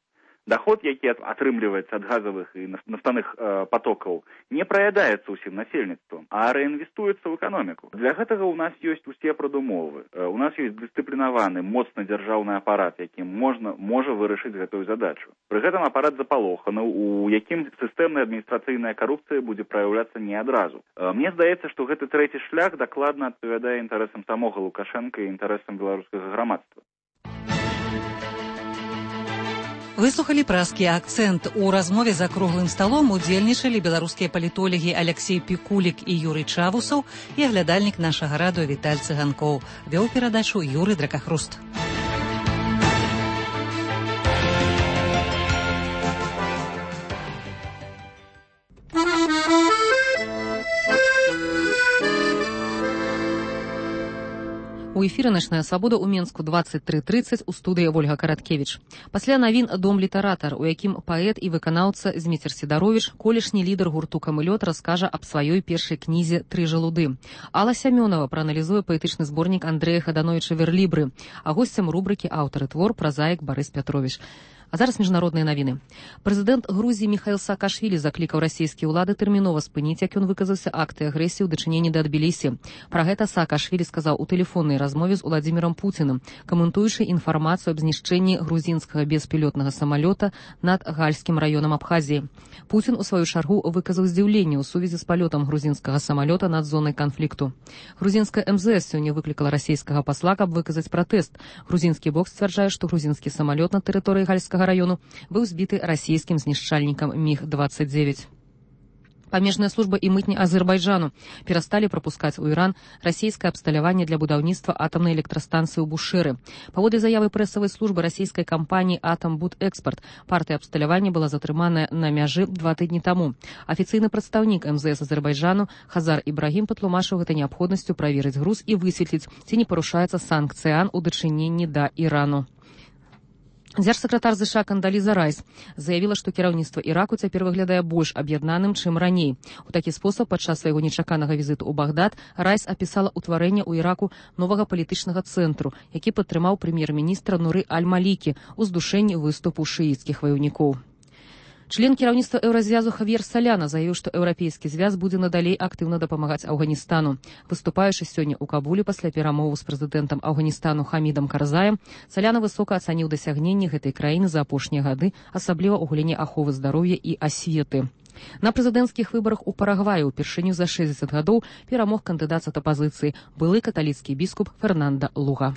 Доход, які атрымліваецца ад газавых і нафтаных э, потокаў, не праядаецца ўсім насельніцтвам, а рэінвестуецца ў эканоміку. Для гэтага ў нас ёсць усе прадумовы. Э, у нас ёсць дысцыплінаваны, моцны дзяржаўны апарат, якім можна, можа вырашыць гэтую задачу. Пры гэтым апарат запалоханы, у якім сістэмная адміністрацыйная карупцыя будзе праяўляцца не адразу. Э, мне здаецца, што гэты трэці шлях дакладна адпавядае інтарэсам самога Лукашэнка і інтарэсам беларускага грамадства. Выслухалі празкі акцэнт. У размове за круглым сталом удзельнічалі беларускія палітолагі Алексей Пікулік і Юрый Чавусаў і аглядальнік нашага радыё Віталь Цыганкоў. Вёў перадачу Юрый Дракахруст. У эфіры «Начная свабода» ў Менску двадцать три тридцать у студыі Вольга Караткевіч. Пасля навін «Дом літаратар», у якім паэт і выканаўца Зміцер Сідаровіч, колішні лідар гурту «Камылёт», раскажа аб сваёй першай кнізе «Тры жалуды». Алла Сямёнова прааналізуе паэтычны зборнік Андрэя Хадановіча «Верлібры», а госцем рубрыкі аўтары твор празаік Барыс Пятровіч. А зараз міжнародныя навіны. Прэзідэнт Грузіі Міхаіл Саакашвілі заклікаў расійскія ўлады тэрмінова спыніць, як ён выказаўся, акты агрэсіі ў дачыненні да Тбілісі. Пра гэта Саакашвілі сказаў у тэлефоннай размове з Уладзімірам Пуціным, каментуючы інфармацыю аб знішчэнні грузінскага беспілотнага самалёта над гальскім раёнам Абхазіі. Пуцін, у сваю чаргу, выказаў здзіўленне ў сувязі з палётам грузінскага самалёта над зонай канфлікту. Грузінская эм зэ эс сёння выклікала расійскага пасла, каб выказаць пратэст. Грузінскі бок сцвярджае, што грузінскі самалёт на тэрыторыі гальскага раёну быў збіты расійскім знішчальнікам міг двадцать девять. Памежная служба і мытні Азербайджану перасталі прапускаць у Іран расійскае абсталяванне для будаўніцтва атамнай электрастанцыі ў Бушэры. Паводле заявы прэсавай службы расійскай кампаніі «Атамбудэкспарт», партыя абсталявання была затрыманая на мяжы два тыдні таму. Афіцыйны прадстаўнік эм зэ эс Азербайджану Хазар Ібрагім патлумачыў гэта неабходнасцю праверыць груз і высветліць, ці не парушаецца санкцыян у дачыненні да Ірану. Дзяржсакратар ЗША Кандаліза Райс заявіла, што кіраўніцтва Іраку цяпер выглядае больш аб'яднаным, чым раней. У такі спосаб падчас свайго нечаканага візіту ў Багдад Райс апісала ўтварэнне ў Іраку новага палітычнага цэнтру, які падтрымаў прэм'ер-міністра Нуры Аль-Малікі ў здушэнні выступу шыіцкіх ваяўнікоў. Член кіраўніцтва Еўразвязу Хавьер Саляна заявіў, што еўрапейскі звяз будзе надалей актыўна дапамагаць Афганістану. Выступаючы сёння ў Кабуле пасля перамоваў з прэзідэнтам Афганістану Хамідам Карзаем, Саляна высока ацаніў дасягненні гэтай краіны за апошнія гады, асабліва ў галіне аховы здароўя і асветы. На прэзідэнцкіх выбарах у Парагваі ўпершыню за шэсцьдзесят гадоў перамог кандыдат ад апазіцыі, былы каталіцкі біскуп Фернанда Луга.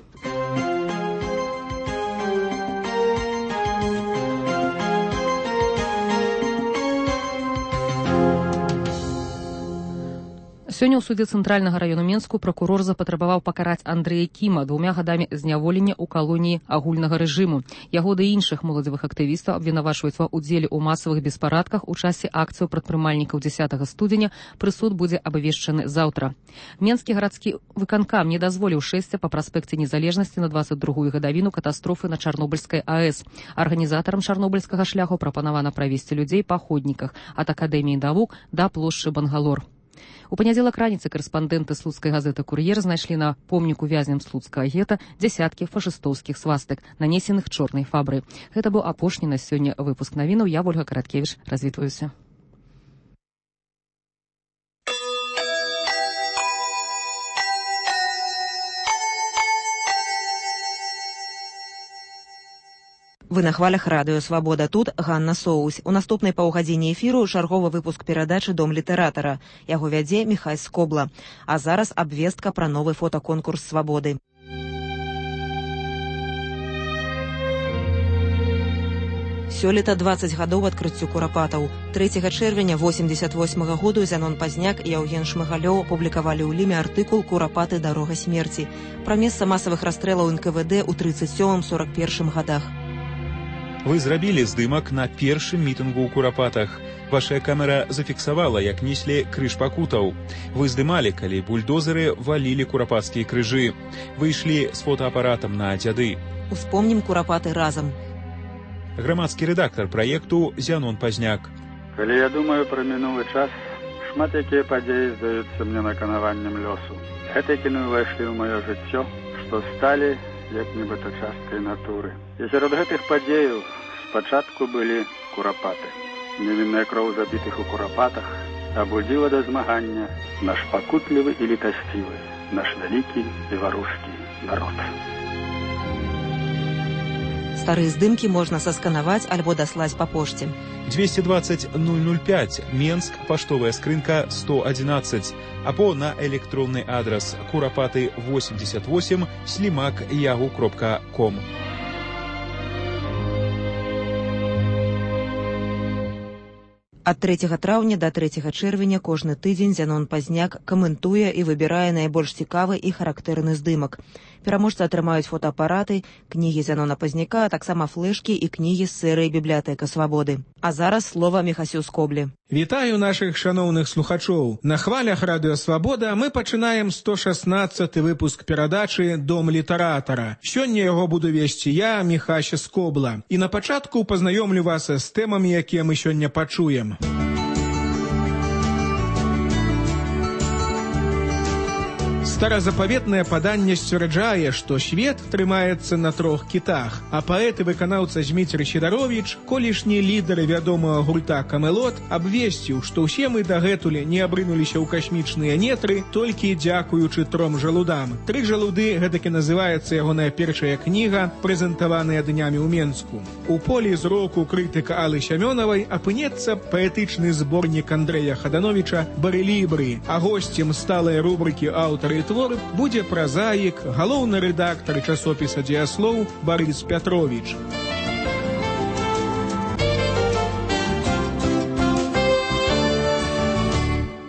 Сёння ў судзе цэнтральнага раёну Менску пракурор запатрабаваў пакараць Андрэя Кіма двумя гадамі зняволення ў калоніі агульнага рэжыму. Яго ды іншых моладзевых актывістаў абвінавачваюць ва ўдзеле ў масавых беспарадках у часе акцыяў прадпрымальнікаў дзесятага студзеня. Прысуд будзе абвешчаны заўтра. Менскі гарадскі выканкам не дазволіў шэсця па праспекце Незалежнасці на двадцать другую гадавіну катастрофы на Чарнобыльскай АЭС. Арганізатарам чарнобыльскага шляху прапанавана правесці людзей па ходніках ад Акадэміі навук да плошчы Бангалор. У панядзелак раніцы карэспандэнты слуцкай газеты «Кур'ер» знайшлі на помніку вязням слуцкага гета дзясяткі фашыстоўскіх свастык, нанесеных чорнай фабрай. Гэта быў апошні на сёння выпуск навінаў. Я, Вольга Караткевіч, развітваюся. Вы на хвалях радыё «Свабода». Тут Ганна Соусь. У наступнай паўгадзіне эфіру чарговы выпуск перадачы «Дом літаратара». Яго вядзе Міхай Скобла. А зараз абвестка пра новы фотаконкурс «Свабоды». Сёлета двадцать гадоў адкрыццю курапатаў. трэцяга чэрвеня восемьдесят восьмага году Зянон Пазняк і Яўген Шмыгалёў апублікавалі ў ліме артыкул «Курапаты. Дарога смерці» пра месца масавых расстрэлаў эн ка вэ дэ ў тридцать сёмым сорок первым гадах. Вы зрабілі здымак на першым мітынгу ў Курапатах. Ваша камера зафіксавала, як неслі крыж пакутаў. Вы здымалі, калі бульдозеры валілі курапацкія крыжы. Вы ішлі з фотоапаратам на дзяды. Успомнім Курапаты разам. Грамадскі рэдактар праекту Зянон Пазняк. Калі я думаю пра мінулы час, шмат якія падзеі здаюцца мне наканаваннем лёсу. Гэтыя кіно ўвайшлі ў маё жыццё, што сталі як нібыта часткай натуры. І сярод гэтых падзеяў спачатку былі курапаты. Невінная кроў забітых у курапатах абудзіла да змагання наш пакутлівы і літасцівы, наш вялікі беларускі народ. Старыя здымкі можна сасканаваць альбо даслаць па пошце. двести двадцать ноль ноль пять, Менск, паштовая скрынка сто одиннадцать, або на электронны адрес курапаты восемьдесят восемь слимак ягу кропка ком. Ад трэцяга траўня да трэцяга чэрвеня кожны тыдзень Зянон Пазняк каментуе і выбірае найбольш цікавы і характэрны здымак. Пераможцы атрымаюць фотоапараты, кнігі Зянона Пазняка, а таксама флешкі і кнігі з серыі «Бібліятэка свабоды». А зараз слова Міхасю Скоблі. Вітаю нашых шаноўных слухачоў. На хвалях радыё «Свабода» мы пачынаем сто шаснаццаты выпуск перадачы «Дом літаратара». Сёння яго буду весці я, Міхася Скобла. І на пачатку пазнаёмлю вас з тэмамі, якія мы сёння пачуем. Старазапаветнае паданне сцвярджае, што свет трымаецца на трох кітах, а паэт і выканаўца Зміцер Сідаровіч, колішні лідар вядомага гурта «Камелот», абвесціў, што ўсе мы дагэтуль не абрынуліся ў касмічныя нетры толькі дзякуючы тром жалудам. «Тры жалуды» гэтакі называецца ягоная першая кніга, прэзентаваная днямі ў Менску. У полі зроку крытыка Аллы Сямёнавай апынецца паэтычны зборнік Андрэя Хадановіча «Барэлібры», а госцем сталай рубрыкі «Аўтары твор» будзе празаік, галоўны рэдактар часопіса «Дзеяслоў» Барыс Пятровіч.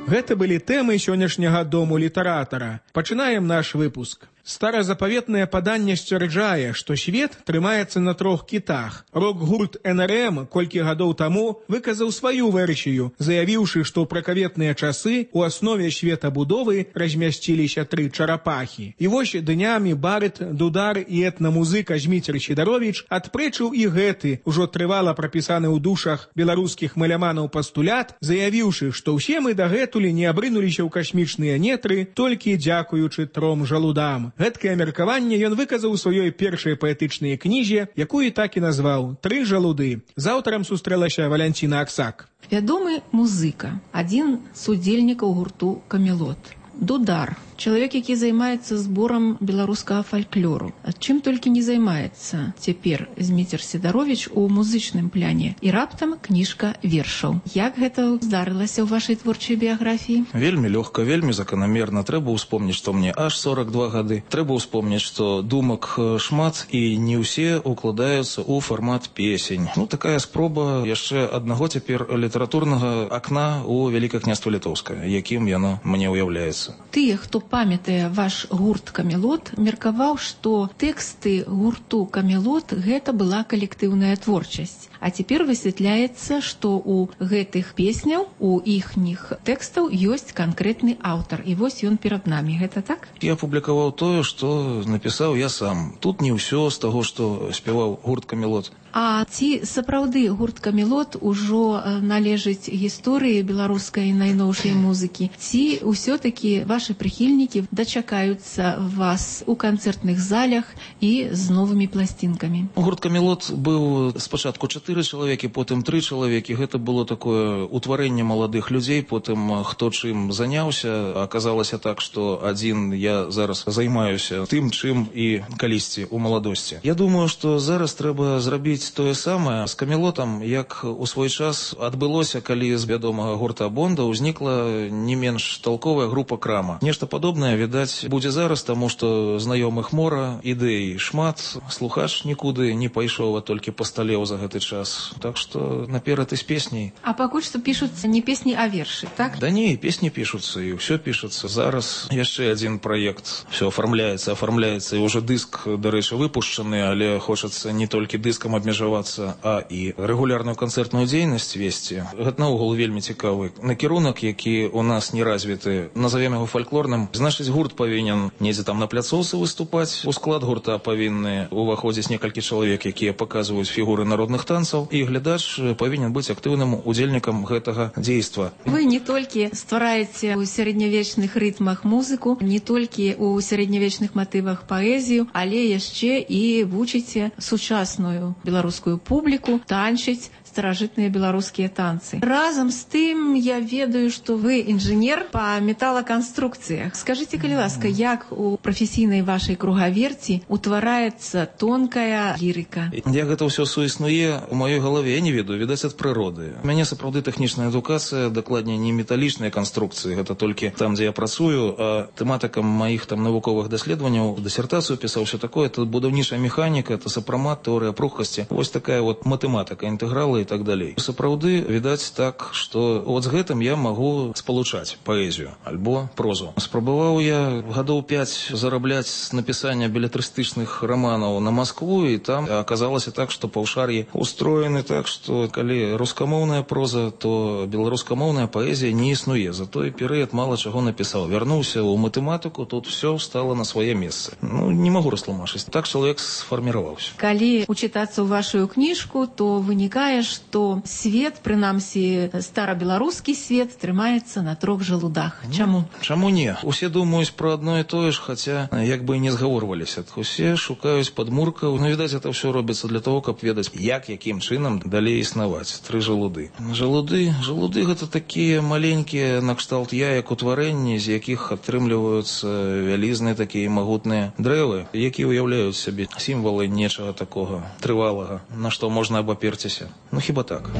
Гэта былі тэмы сённяшняга дому літаратара. Пачынаем наш выпуск. Старазапаветнае паданне сцвярджае, што свет трымаецца на трох кітах. Рок-гурт эн эр эм колькі гадоў таму выказаў сваю версію, заявіўшы, што ў пракаветныя часы ў аснове светабудовы размясціліся тры чарапахі. І вось днямі барыт, дудар і этнамузыка Зміцер Сідаровіч адпрэчыў і гэты, ужо трывала прапісаны ў душах беларускіх маляманаў пастулят, заявіўшы, што ўсе мы дагэтуль не абрынуліся ў касмічныя нетры толькі дзякуючы тром жалудам. Гэткае меркаванне ён выказаў у сваёй першай паэтычнай кнізе, якую так і назваў «Тры жалуды». З аўтарам сустрэлася Валянціна Аксак. Вядомы музыка, адзін з удзельнікаў гурту «Камелот». Дудар, чалавек, які займаецца зборам беларускага фальклору. Чым толькі не займаецца цяпер Зміцер Сідаровіч у музычным пляне. І раптам кніжка вершаў. Як гэта здарылася ў вашай творчай біяграфіі? Вельмі лёгка, вельмі заканамерна. Трэба ўспомніць, што мне аж сорак два гады. Трэба ўспомніць, што думак шмат і не ўсе укладаюцца ў фармат песень. Ну, такая спроба яшчэ аднаго цяпер літаратурнага акна ў Вялікае княства Літоўскае, якім яно мне ўяўляецца. Тыя, хто памятае ваш гурт «Камелот», меркаваў, што тэксты гурту «Камелот» гэта была калектыўная творчасць. А цяпер высвятляецца, што ў гэтых песняў, у іхніх тэкстаў ёсць канкрэтны аўтар. І вось ён перад намі. Гэта так? Я публікаваў тое, што напісаў я сам. Тут не ўсё з таго, што спяваў гурт «Камелот». А ці сапраўды гурт «Камелот» ужо належыць гісторыі беларускай найноўшай музыкі? Ці ўсё-такі ваши прыхільнікі дачакаюцца вас у канцэртных залях і з новымі пласцінкамі? Гурт «Камелот» быў спачатку чатыры чалавекі, потым тры чалавекі. Гэта было такое утварэнне маладых людзей, потым хто чым заняўся. Аказалася так, што адзін я зараз займаюся тым, чым і калісьці ў маладосці. Я думаю, што зараз трэба зрабіць тое самае з «Камелотам», як у свой час адбылося, калі з вядомага гурта «Бонда» узнікла не менш талковая група «Крама». Нешта падобнае, відаць, будзе зараз, таму што знаёмых мора, ідэй шмат, слухач нікуды не пайшоў, а толькі пасталеў за гэты час. Так што наперад і з песняй. А пакуль што пішуцца не песні, а вершы, так? Да не, песні пішуцца, і ўсё пішуцца. Зараз яшчэ адзін праект. Все оформляецца, оформляецца, і ўжо дыск, дарэчы, выпушчаны, але хочацца не толькі дыскам абмежавацца, а і рэгулярную канцэртную дзейнасць весці. Гэта наогул вельмі цікавы накірунак, які у нас не развіты. Назовем яго фальклорным. Значыць, гурт павінен недзе там на пляцоўцы выступаць. У склад гурта павінны уваходзіць некалькі чалавек, якія паказваюць фігуры народных танцаў, і глядач павінен быць актыўным удзельнікам гэтага дзейства. Вы не толькі ствараеце ў сярэднявечных рытмах музыку, не толькі ў сярэднявечных матывах паэзію, але яшчэ і вучыце сучасную беларускую публіку танчыць старажытныя беларускія танцы. Разам з тым я ведаю, што вы інжынер па металаканструкцыях. Скажыце, калі ласка, як у прафесійнай вашай кругаверці утвараецца тонкая лірыка? Як гэта ўсё суіснуе у маёй галаве, я не ведаю, відаць, ад прыроды. У мяне сапраўды тэхнічная адукацыя, дакладней не металічныя канструкцыі, гэта толькі там, дзе я працую, а тэматыкам маіх там навуковых даследаванняў, дысертацыю пісаў, ўсё такое, это будаўнічая механіка, это сапрамат, тэорыя пругкасці. Вось такая вот матэматыка, інтэгралы і так далей. Сапраўды, відаць так, што от з гэтым я магу спалучаць паэзію альбо прозу. Спрабаваў я гадоў пяць зарабляць з напісання белетрыстычных романаў на Маскву, і там аказалася так, што паўшар'і устроены так, што калі рускамоўная проза, то беларускамоўная паэзія не існуе. За той перыяд мала чаго напісаў. Вярнуўся ў матэматыку, тут все стало на свае месцы. Ну, не магу растлумачыць. Так чалавек сфарміраваўся. Калі учытацца ў вашу кніжку, то вынікае, што свет, прынамсі старабеларускі свет, трымаецца на трох жалудах. Чаму? Чаму не? Усе думаюць пра адно і тое ж, хаця як бы і не згаворваліся. Усе шукаюць падмуркаў. Ну, відаць, это ўсё робіцца для того, каб ведаць, як, якім чынам далей існаваць. Тры жалуды. Жалуды, жалуды гэта такія маленькія накшталт яек утварэнні, з якіх атрымліваюцца вялізныя такія магутныя дрэвы, якія уяўляюць сабе сімвалы нечага такога трывалага, на што можна абаперціся. Ну, хіба так.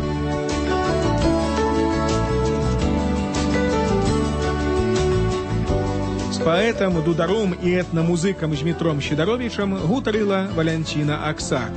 З паэтам, дударом і этнамузыкам Змітром Сідаровічам гутарыла Валянціна Аксак.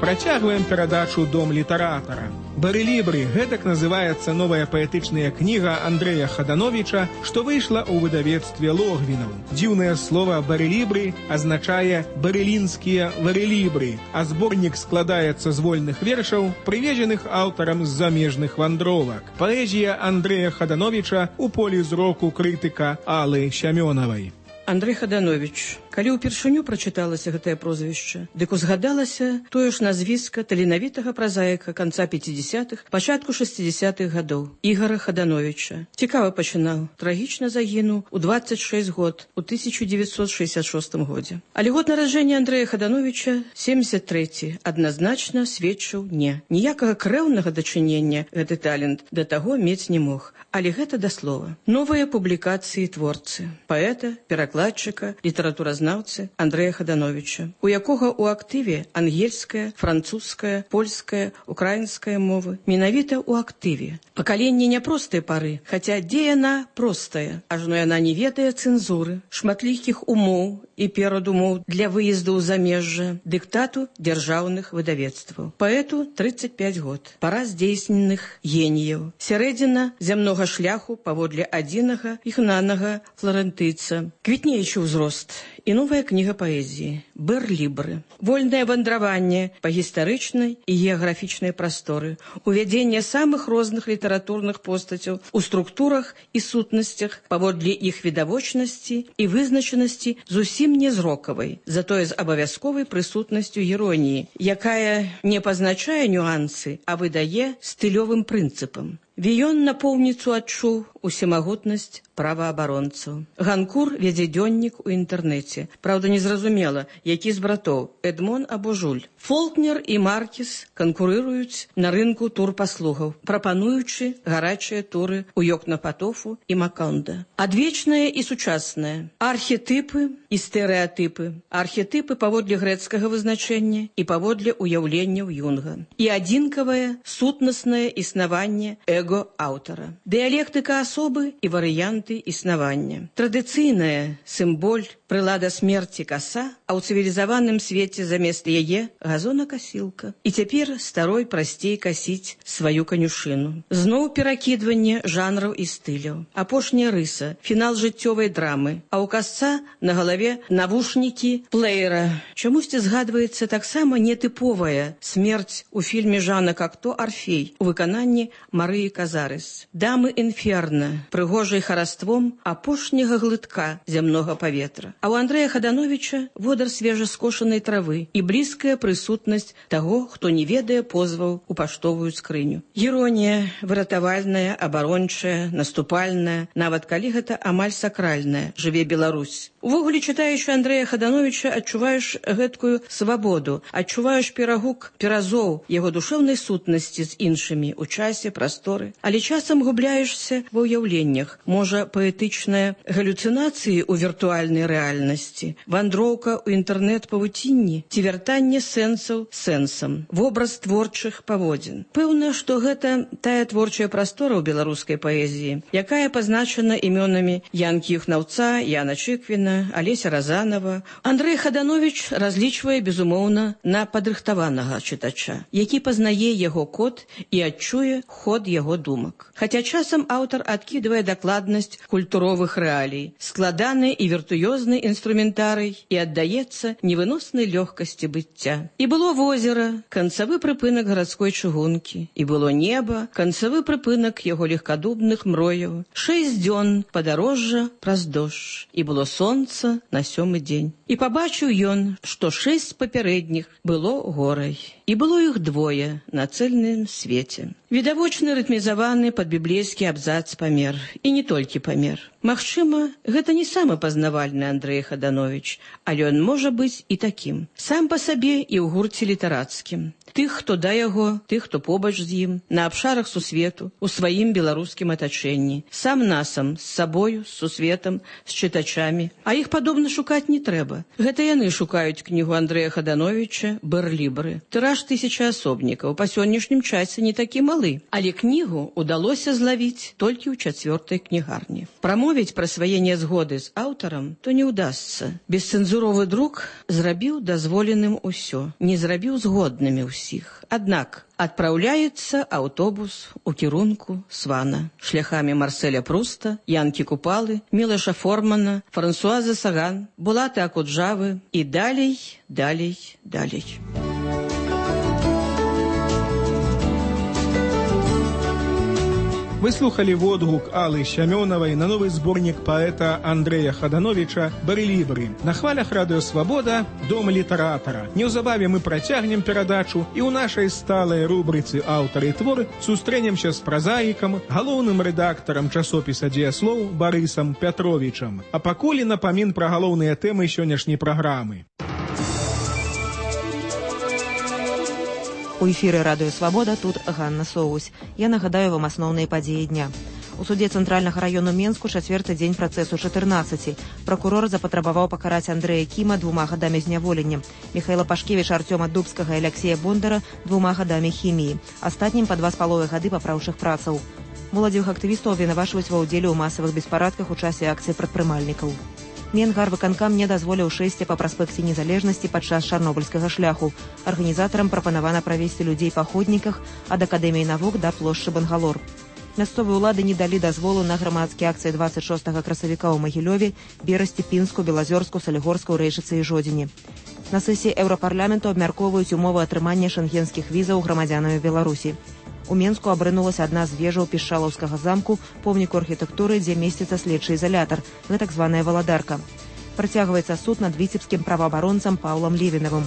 Працягваем перадачу «Дом літаратара». «Барэлібры» – гэтак называецца новая паэтычная кніга Андрэя Хадановіча, што выйшла ў выдавецтве Логвінаў. Дзіўнае слова «барэлібры» азначае «барэлінскія варэлібры», а зборнік складаецца з вольных вершаў, прывезеных аўтарам з замежных вандровак. Паэзія Андрэя Хадановіча ў полі зроку крытыка Аллы Сямёнавай. Андрэй Хадановіч, калі ўпершыню прачыталася гэтае прозвішча, дык узгадалася тое ж назвіска таленавітага празаіка канца пяцідзясятых, пачатку шэсцідзясятых гадоў, Ігара Хадановіча. Цікава пачынаў, трагічна загінуў у дваццаць шэсць год, у тысяча дзевяцьсот шэсцьдзясят шостым годзе. Але год нараджэння Андрэя Хадановіча, семдзесят трэці, адназначна сведчыў не. Ніякага крэўнага дачынення гэты талент да таго мець не мог. Але гэта да слова. Новыя публікацыі творцы, паэта, перакладчыка, літаратуразнаўцы Андрэя Хадановіча, у якога ў актыве ангельская, французская, польская, украінская мовы. Менавіта ў актыве. Пакаленне няпростай пары, хаця дзе яна простая, ажно яна не ведае цэнзуры, шматлікіх умоў і перадумоў для выезду ў замежжа, дыктату дзяржаўных выдавецтваў. Паэту тридцать пять год. Пара здзейсненых геніяў. Сярэдзіна зямнога шляху паводле адзінага ігнанага фларэнтыйца. Квітнеючы ўзрост і новая кніга паэзіі «Барлібры». Вольнае вандраванне па гістарычнай і геаграфічнай прасторы, увядзенне самых розных літаратурных постацяў у структурах і сутнасцях паводле іх відавочнасці і вызначанасці зусім не зрокавай, затое з абавязковай прысутнасцю іроніі, якая не пазначае нюансы, а выдае стылёвым прынцыпам. Віён напоўніцу адчуў усемагутнасць праваабаронцаў. Ганкур вядзе дзённік у інтэрнэце. Праўда, незразумела, які з братоў, Эдмон або Жуль. Фолкнер і Маркіс канкурыруюць на рынку турпаслугаў, прапануючы гарачыя туры ў Йокнапатофу і Макондо. Адвечнае і сучаснае. Архетыпы і стэрэатыпы. Архетыпы паводле грэцкага вызначэння і паводле ўяўленняў Юнга. І адзінкавае сутнаснае існаванне эго аўтара. Дыялектыка асобы і варыянты існавання. Традыцыйная сімболь, прылада смерці каса, а ў цывілізаваным свеце замест яе газонакасілка. І цяпер старой прасцей касіць сваю канюшыну. Зноў перакідванне жанраў і стыляў. Апошняя рыса, фінал жыццёвай драмы, а ў касца на галаве навушнікі плеера. Чамусьці згадваецца таксама нетыповая смерць у фільме Жана Кокто «Арфей» у выкананні Марыі Казарыс. Дамы інферна, прыгожай хараством апошняга глытка зямнога паветра. А ў Андрэя Хадановіча водар свежаскошанай травы і блізкая прысутнасць таго, хто не ведае позваў у паштовую скрыню. Іронія, выратавальная, абарончая, наступальная, нават калі гэта амаль сакральная, жыве Беларусь. Увогуле, чытаючы Андрэя Хадановіча, адчуваеш гэткую свабоду, адчуваеш перагук перазоў яго душэўнай сутнасці з іншымі ў часе, прасторы, але часам губляешся ва ўяўленнях. Можа, паэтычныя галюцынацыі ў віртуальнай рэальнасці рэальнасці, вандроўка ў інтэрнэт-павуцінні ці вяртанне сэнсаў сэнсам, вобраз творчых паводзін. Пэўна, што гэта тая творчая прастора ў беларускай паэзіі, якая пазначана імёнамі Янкі Юхнаўца, Яна Чыквіна, Алеся Разанова. Андрэй Хадановіч разлічвае, безумоўна, на падрыхтаванага чытача, які пазнае яго код і адчуе ход яго думак. Хаця часам аўтар адкідвае дакладнасць культуровых рэалій, складаны і віртуёзны інструментарый і аддаецца невыноснай лёгкасці быцця. І было возера, канцавы прыпынак гарадской чыгункі, і было неба, канцавы прыпынак яго легкадубных мрояў, шэсць дзён падарожжа праз дождж, і было сонца на сёмы дзень. І пабачыў ён, што шэсць папярэдніх было горай, і было іх двое на цэльным свеце. Відавочны рытмізаваны пад біблейскі абзац памер, і не толькі памер. Магчыма, гэта не самы пазнавальны Андрэй Хадановіч, але ён можа быць і такім. Сам па сабе і ў гурце літарацкім. Тых, хто да яго, тых, хто побач з ім, на абшарах сусвету, у сваім беларускім атачэнні, сам насам, з сабою, з сусветам, з чытачамі. А іх падобна шукаць не трэба. Гэта яны шукаюць кнігу Андрэя Хадановіча «Бэрлібры». Тыраж тысяча асобнікаў, па сённяшнім часе не такі малы. Але кнігу удалося злавіць толькі ў чацвёртай кнігарні. Прамовіць пра свае нязгоды з аўтарам то не ўдасца. Бесцэнзуровы друк зрабіў дазволеным усё, не зрабіў згоднымі ўсіх. Аднак адпраўляецца аўтобус у кірунку Свана шляхамі Марселя Пруста, Янкі Купалы, Мілаша Формана, Франсуазы Саган, Булаты Акуджавы і далей, далей, далей. Вы слухали водгук Аллы Сямёнавай на новы зборнік паэта Андрэя Хадановіча «Бэрлібры». На хвалях Радыё Свабода «Дом літаратара». Неўзабаве мы працягнем перадачу і ў нашай сталай рубрыцы «Аўтары і творы» сустрэнемся з празаікам, галоўным рэдактарам часопіса «Дзеяслоў» Барысам Пятровічам. А пакуль напамін пра галоўныя тэмы сённяшняй праграмы. У эфіры Радыё Свабода, тут Ганна Соусь. Я нагадаю вам асноўныя падзеі дня. У суде Цэнтральнага раёну Менску чацвёрты дзень працэсу чатырнаццаці. Пракурор запатрабаваў пакараць Андрэя Кіма двума гадамі зняволення, Міхаіла Пашкевіча, Артёма Дубскага і Аляксея Бондара двума гадамі хіміі, астатнім па два з паловай гады папраўчых працаў. Моладзевых актывістаў абвінавачваюць ва ўдзеле ў масавых беспарадках у часе акцыі прадпрымальнікаў. Менгарвыканкам не дазволіў шэсці па праспекце незалежнасці падчас чарнобыльскага шляху. Арганізатарам прапанавана правесці людзей па ходніках ад Акадэміі навук да плошчы Бангалор. Мясцовыя ўлады не далі дазволу на грамадскія акцыі дваццаць шостага красавіка ў Магілёве, Берасці, Пінску, Белазёрску, Салігорску, Рэйчыцы і Жодзіне. На сесіі Еўрапарламенту абмяркоўваюць умовы атрымання шэнгенскіх візаў грамадзянамі Беларусі. У Менску абрынулася адна з вежаў Пішчалаўскага замку, помніку архітэктуры, дзе месціцца следчы ізалятар, гэта так званая валадарка. Працягваецца суд над віцебскім праваабаронцам Паўлам Левінавым.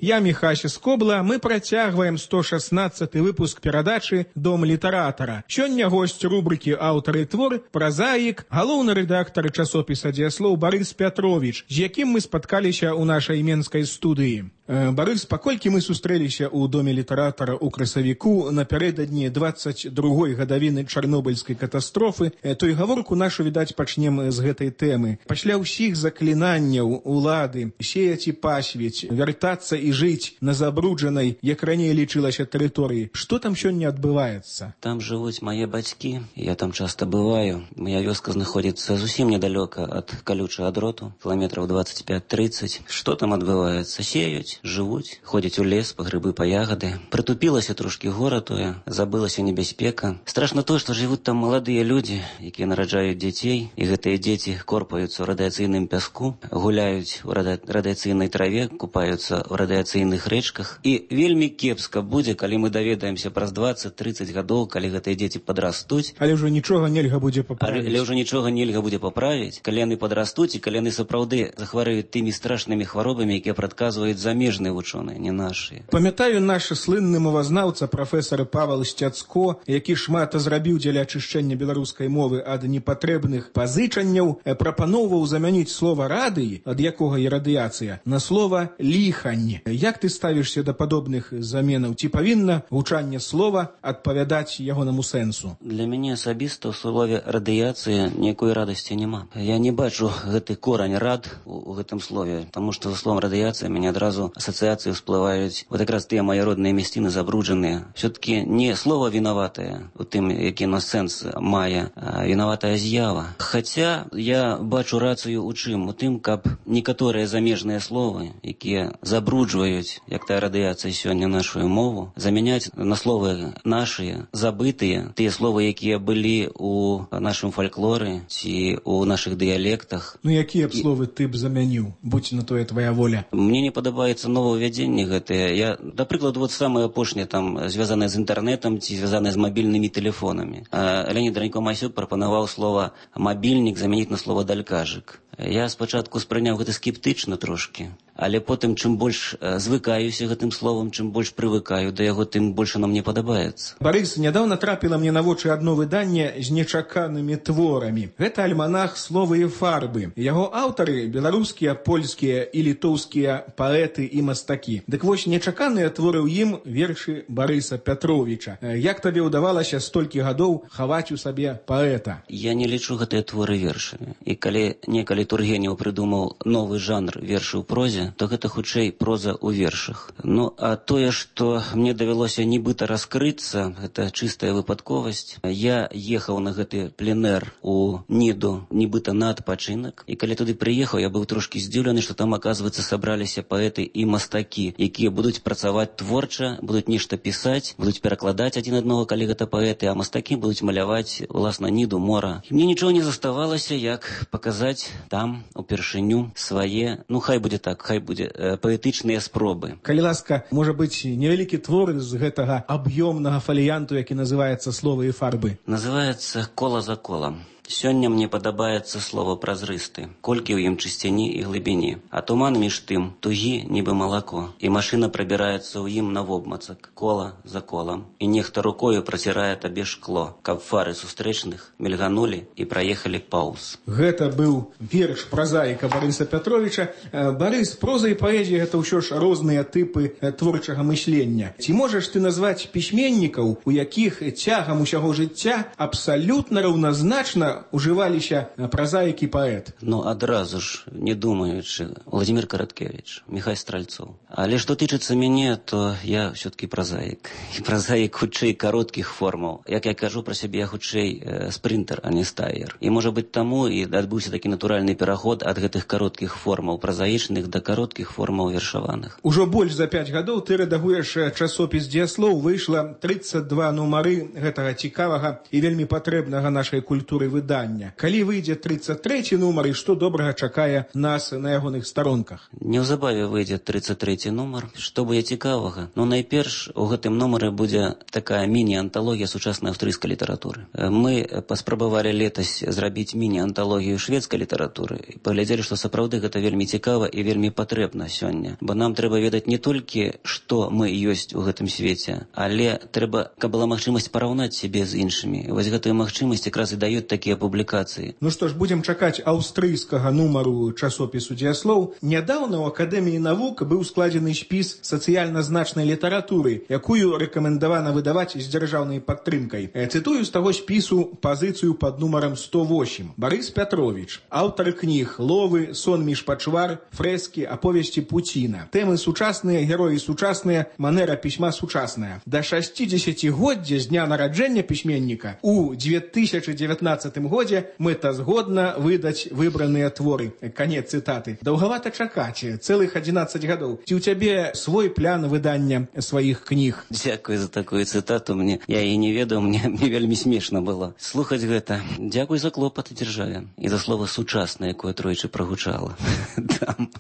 Я Міхася Скобла, мы працягваем сто шаснаццаты выпуск перадачы «Дом літаратара». Сёння госць рубрыкі «Аўтары і творы» празаік, галоўны рэдактар часопіса «Дзеяслоў» Барыс Пятровіч, з якім мы спаткаліся ў нашай менскай студыі. Барыс, паколькі мы сустрэліся ў Доме літаратара ў красавіку напярэдадні дваццаць другой гадавіны чарнобыльскай катастрофы, то і гаворку нашу, відаць, пачнем з гэтай тэмы. Пасля ўсіх заклінанняў улады сеяць і пасвіць, вяртацца і жыць на забруджанай, як раней лічылася, тэрыторыі. Што там сёння адбываецца? Там жывуць мае бацькі, я там часта бываю. Моя вёска знаходзіцца зусім недалёка ад калючага дроту, кіламетраў дваццаць пяць трыццаць. Што там адбываецца? Сеюць, жывуць, ходзяць у лес па грыбы, па ягады. Прытупілася трошкі гора тое, забылася небяспека. Страшна то, што жывуць там маладыя людзі, якія нараджаюць дзяцей, і гэтыя дзеці корпаюцца ў радыяцыйным пяску, гуляюць у радыяцыйнай траве, купаюцца ў радыяцыйных рэчках. І вельмі кепска будзе, калі мы даведаемся праз дваццаць-трыццаць гадоў, калі гэтыя дзеці падрастуць. Але ўжо нічога нельга будзе паправіць. Але ўжо нічога нельга будзе паправіць, калі яны падрастуць і калі яны сапраўды захварэюць тымі страшнымі хваробамі, якія прадказваюць за замежные вучоныя, не наши. Памятаю, наш слынны мовазнаўца прафесор Павел Сцяцко, які шмат зрабіў дзеля ачышчэння беларускай мовы ад непатрэбных пазычанняў, прапаноўваў замяніць слова радыі, ад якога і радыяцыя, на слова ліхань. Як ты ставішся да падобных заменаў? Ці павінна гучанне слова адпавядаць ягонаму сэнсу? Для мяне асабіста ў слове радыяцыя ніякой радасці няма. Я не бачу гэты корань рад у, у гэтым слове, таму што за словом радыяцыя мяне адразу асацыяцыі всплываюць вот якраз тыя мае родныя мясціны забруджаныя. Все-таки не слово вінаватае у тым, які на сэнс мае, а вінаватая з'ява. Хаця я бачу рацыю у чым? У тым, каб некаторыя замежныя словы, якія забруджваюць, як тая радыяцыя сёння нашу мову, замяняць на словы нашыя, забытыя, тыя словы, якія былі у нашым фальклоры ці у нашых дыялектах. Ну якія б словы ты б замяніў, будь на тое твоя воля? Мне не падабаецца новаўвядзенне гэтае. Я, да прыкладу, вот самае апошняе там звязанае з інтэрнетам ці звязанае з мабільнымі тэлефонамі. Леонід Ранько-Масюк прапанаваў слова мабільнік замяніць на слова далькажык. Я спачатку спрыняў гэта скептычна трошкі, але потым, чым больш звыкаюся гэтым словам, чым больш прывыкаю да яго, тым больш нам не падабаецца. Барыс, нядаўна трапіла мне на вочы адно выданне з нечаканымі творамі. Гэта альманах «Словы і фарбы». Яго аўтары – беларускія, польскія і літоўскія паэты і мастакі. Дык вось нечаканыя творы ў ім вершы Барыса Пятровіча. Як табе ўдавалася столькі гадоў хаваць у сабе паэта? Я не лічу гэтыя творы вершамі. І калі некалі Тургенеў прыдумаў новы жанр вершы ў прозе, то гэта хутчэй проза ў вершах. Ну, а тое, што мне давялося нібыта раскрыцца, гэта чыстая выпадковасць. Я ехаў на гэты пленэр у Ніду, нібыта на адпачынак, і калі туды прыехаў, я быў трошкі здзіўлены, што там, аказваецца, сабраліся паэты і мастакі, якія будуць працаваць творча, будуць нешта пісаць, будуць перакладаць адзін аднаго, калі гэта паэты, а мастакі будуць маляваць, уласна, Ніду, мора. І мне нічого не заставалася, як паказаць там упершыню свае, ну хай будзе так, хай будзе э, паэтычныя спробы. Калі ласка, можа быць невялікі твор з гэтага аб'ёмнага фаліянту, які называецца «Словы і фарбы». Называецца «Кола за колам». Сёння мне падабаецца слово празрысты, колькі ў ім чысціні і глыбіні. А туман між тым тугі, нібы малако, і машына прабіраецца ў ім навобмацак, кола за колам. І нехта рукою працірае табе шкло, каб фары сустрэчных мільганулі і праехалі паўз. Гэта быў верш празаіка Барыса Пятровіча. Барыс, проза і паэзія – гэта ўсё ж розныя тыпы творчага мыслення. Ці можаш ты назваць пісьменнікаў, у якіх цягам усяго жыцця абсалютна раўназначна ужываліся празаік і паэт? Ну, адразу ж, не думаючы, Владимир Караткевич, Михай Стральцоў. Але што тычыцца мяне, то я все-таки празаік. І празаік хутчэй кароткіх формаў. Як я кажу пра сябе, я хутчэй э, спринтер, а не стаер. І, можа быць, таму і адбыўся такі натуральны пераход ад гэтых кароткіх формаў празаічных да кароткіх формаў вершаваных. Ужо больш за пяць гадоў ты рэдагуеш часопіс «Дзеяслоў». Выйшла трыццаць два нумары гэтага цікавага і вельмі патрэбнага нашай культуры выдання. Калі выйдзе трыццаць трэці нумар, і што добрага чакае нас на ягоных старонках? Неўзабаве выйдзе трыццаць трэці нумар. Што будзе цікавага? Ну, найперш, у гэтым нумары будзе такая міні-анталогія сучаснай аўстрыйскай літаратуры. Мы паспрабавалі летась зрабіць міні-анталогію шведскай літаратуры і паглядзелі, што сапраўды гэта вельмі цікава і вельмі патрэбна сёння. Бо нам трэба ведаць не толькі, што мы ёсць у гэтым свеце, але трэба, каб была магчымасць параўнаць сябе з іншымі. Вось гэтую магчымасць якраз і даюць такія публікацыі. Ну што ж, будзем чакаць аўстрыйскага нумару часопісу «Дзеяслоў». Нядаўна ў Акадэміі навук быў складзены спіс сацыяльна значнай літаратуры, якую рэкамендавана выдаваць з дзяржаўнай падтрымкай. Цытую з таго спісу пазіцыю пад нумарам сто восем. Барыс Пятровіч, аўтар кніг «Ловы», «Сон між пачвар», «Фрэскі», «Аповесці Пуціна». Тэмы сучасныя, героі сучасныя, манера пісьма сучасная. Да шасцідзесяцігоддзя з дня нараджэння пісьменніка у две тысячы дзевятнаццатым годзе мэтазгодна выдаць выбраныя творы. Канец цытаты. Даўгавата чакаць, цэлых адзінаццаць гадоў. Ці ў цябе свой план выдання сваіх кніг? Дзякуй за такую цытату. Мне я і не ведаў, мне, мне вельмі смешна было слухаць гэта. Дзякуй за клопат дзяржаве і за слова сучаснае, якое тройчы прагучала.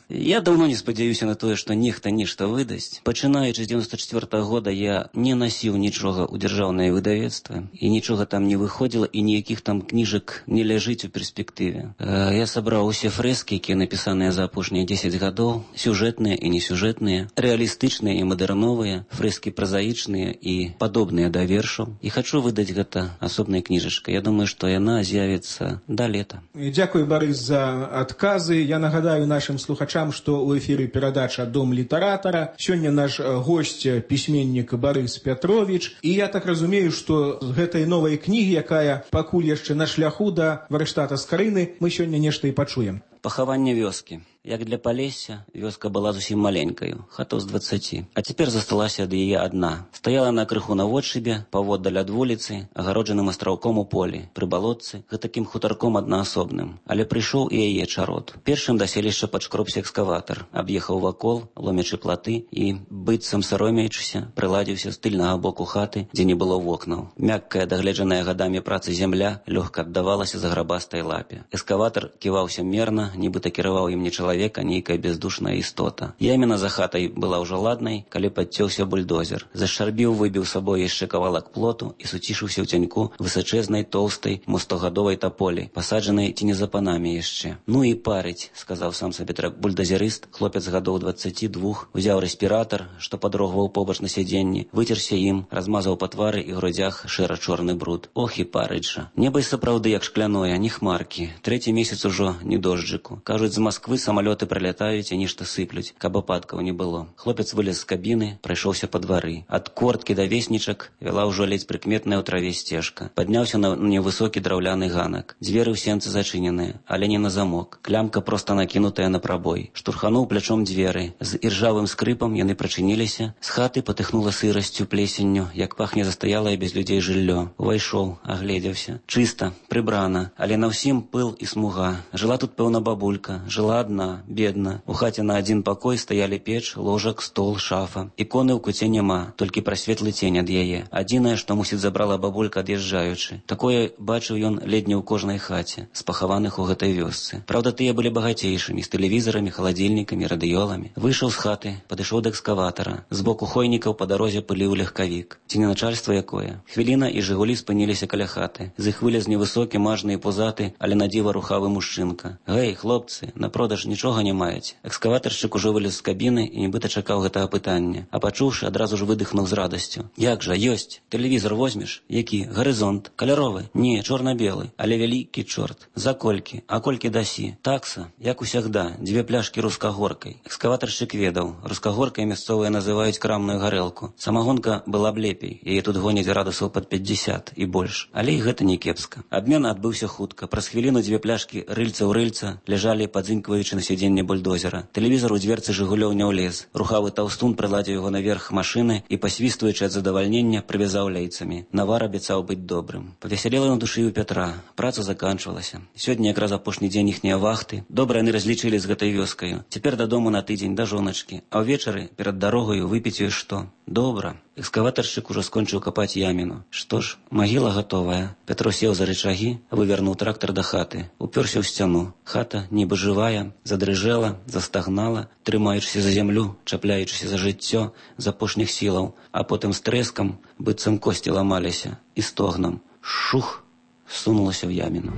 Я даўно не спадзяюся на тое, што нехта нешта выдасць. Пачынаючы з дзевяносто чвёртага года я не насіў нічога ў дзяржаўнае выдавецтва і нічога там не выходзіла і ніякіх там кніжак кніжак не ляжыць у перспектыве. Я сабраў усе фрэскі, якія напісаныя за апошнія дзесяць гадоў, сюжэтныя і несюжэтныя, рэалістычныя і мадэрновыя, фрэскі празаічныя і падобныя да вершаў. І хачу выдаць гэта асобнай кніжачкай. Я думаю, што яна з'явіцца да лета. Дзякуй, Барыс, за адказы. Я нагадаю нашым слухачам, што ў эфіры перадача «Дом літаратара». Сёння наш госць пісьменнік Барыс Пятровіч. І я так разумею, што з гэтай новай кнігі, якая пакуль яшчэ на шляху да варштата Скарыны, мы сёння нешта і пачуем. Пахаванне вёскі. Як для Палесся, вёска была зусім маленькаю, хатаў з дваццаці. А цяпер засталася ад яе адна. Стаяла на крыху наводшыбе, паводдаль ад вуліцы, агароджаным астраўком у полі, пры балотцы, гэтакім хутарком аднаасобным. Але прыйшоў і яе чарод. Першым да селішча падшкробся экскаватар, аб'ехаў вакол, ломячы платы і, быццам саромеючыся, прыладзіўся з тыльнага боку хаты, дзе не было вокнаў. Мяккая, дагледжаная гадамі працы зямля лёгка аддавалася заграбастай лапе. Экскаватар ківаўся мерна, нібыта кіраваў ім не чалавека, нейкая бездушная істота. Яміна за хатай была ўжо ладнай, калі падцёўся бульдозер. Зашарбіў, выбіў сабой яшчэ кавалак плоту і суцішыўся ў цяньку высачэзнай, тоўстай, мостогадовай таполі, пасаджанай ці не за панамі яшчэ. Ну і парыць, сказаў сам сабе бульдозерыст, хлопец гадоў дваццаці двух, узяў рэспіратар, што падрогваў побач на сядзенні, выцерся ім, размазаў па твары і грудзях шэра-чорны бруд. Ох і парыць жа. Неба і сапраўды як шкляное, не хмаркі. Трэці месяц ужо не дожджыку. Кажуць, з Масквы самалёты прылятаюць і нешта сыплюць, каб ападкаў не было. Хлопец вылез з кабіны, прайшоўся па двары. Ад корткі да веснічак вяла ўжо ледзь прыкметная ў траве сцежка. Падняўся на невысокі драўляны ганак. Дзверы ў сенцы зачыненыя, але не на замок. Клямка проста накінутая на прабой. Штурхануў плячом дзверы. З іржавым скрыпам яны прачыніліся. З хаты патыхнула сырасцю, плесенню, як пахне застаялае без людзей жыллё. Увайшоў, агледзеўся. Чыста, прыбрана, але на ўсім пыл і смуга. Жыла тут, пэўна, бабулька. Жыла адна, бедна. У хаце на адзін пакой стаялі печ, ложак, стол, шафа. Іконы ў куце няма, толькі прасветлы цень ад яе. Адзінае, што, мусіць, забрала бабулька ад'язджаючы. Такое бачыў ён ледзьня ў кожнай хаце, спахаваных у гэтай вёсцы. Праўда, тыя былі багацейшымі, з тэлевізарамі, халадзільнікамі, радыёламі. Выйшаў з хаты, падышоў да экскаватара. З боку хойнікаў па дарозе пыліў легкавік. Ці не начальства якое? Хвіліна і жыгулі спыніліся каля хаты. З іх вылез невысокі, мажны і пузаты, але на дзіва рухавы мужчынка. Гэй, хлопцы, на продаж нічога не маеце. Экскаватаршчык ужо вылез з кабіны і нібыта чакаў гэтага пытання. А пачуўшы, адразу ж выдыхнуў з радасцю. Як жа, ёсць. Тэлевізор возьмеш? Які? Гарызонт. Каляровы? Не, чорна-белы. Але вялікі чорт. За колькі? А колькі дасі? Такса, як усягда, дзве пляшкі рускагоркай. Экскаватаршчык ведаў. Рускагоркай мясцовыя называюць крамную гарэлку. Самагонка была б лепей. Яе тут гоняць градусаў пад пятьдесят і больш. Але і гэта не кепска. Абмен адбыўся хутка. Праз хвіліну дзве пляшкі рыльца ў рыльца ляжалі падзынькваючы на сядзенне бульдозера. Тэлевізор у дзверцы жыгулёў не ўлез. Рухавы таўстун прыладзіў яго наверх машыны і, пасвістваючы ад задавальнення, прывязаў ляйцамі. Навар абяцаў быць добрым. Павесялела на душы ў Пятра. Праца заканчвалася. Сёння якраз апошні дзень іхнія вахты. Добра яны разлічылі з гэтай вёскаю. Цяпер дадому на тыдзень да жоначкі. А ўвечары перад дарогаю выпіць ёй што? Добра. Экскаватаршчык ужо скончыў капаць яміну. Што ж, магіла гатовая. Пятро сеў за рычагі, вывярнуў трактар да хаты. Упёрся ў сцяну. Хата, нібы жывая, задрыжэла, застагнала, трымаючыся за зямлю, чапляючыся за жыццё з апошніх сілаў, а потым з трэскам, быццам косці ламаліся, і стогнам. Шух! Сунулася ў яміну.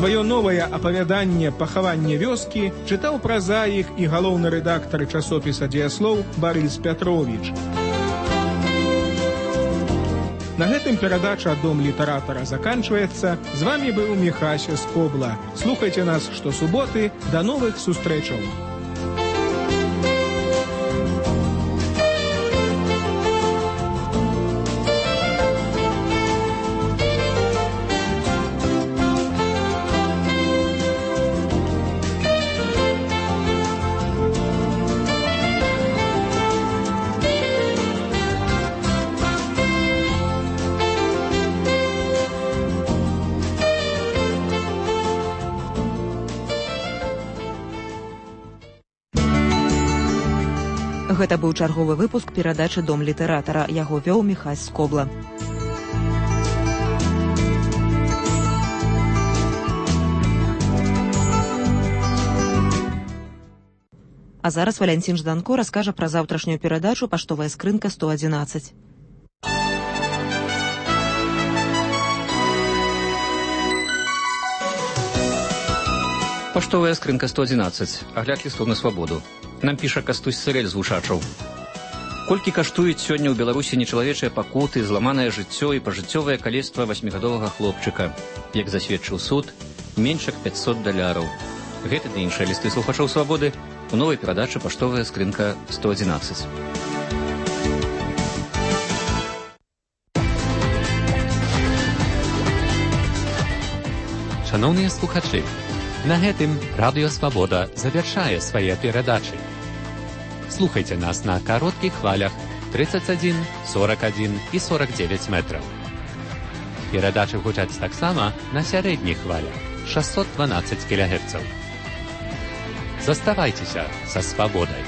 Сваё новае апавяданне «Пахаванне вёскі» чытаў празаік і галоўны рэдактар часопіса «Дзеяслоў» Барыс Пятровіч. На гэтым перадача «Дом літаратара» заканчваецца. З вамі быў Міхася Скобла. Слухайце нас штосуботы. Да новых сустрэчаў! Гэта быў чарговы выпуск перадачы «Дом літаратара». Яго вёў Міхась Скобла. А зараз Валянцін Жданко раскажа пра заўтрашнюю перадачу «Паштовая скрынка сто адзінаццаць». Паштовая скрынка сто адзінаццаць. Агляд лістов на свабоду. Нам піша Кастусь Сырэль з Вушачаў. Колькі каштуюць сёння ў Беларусі нечалавечыя пакуты, зламанае жыццё і пажыццёвае калецтва васьмігадовага хлопчыка. Як засведчыў суд, менш як пяцьсот даляраў. Гэты ды іншыя лісты слухачоў свабоды у новай перадачы «Паштовая скрынка сто адзінаццаць». Шановныя слухачы, на гэтым Радыё Свабода завяршае свае перадачы. Слухайце нас на кароткіх хвалях тридцать один, сорок один і сорок девять метраў. Перадачы гучаць таксама на сярэдніх хвалях шестьсот двенадцать кілогерцаў. Заставайцеся са свабодай.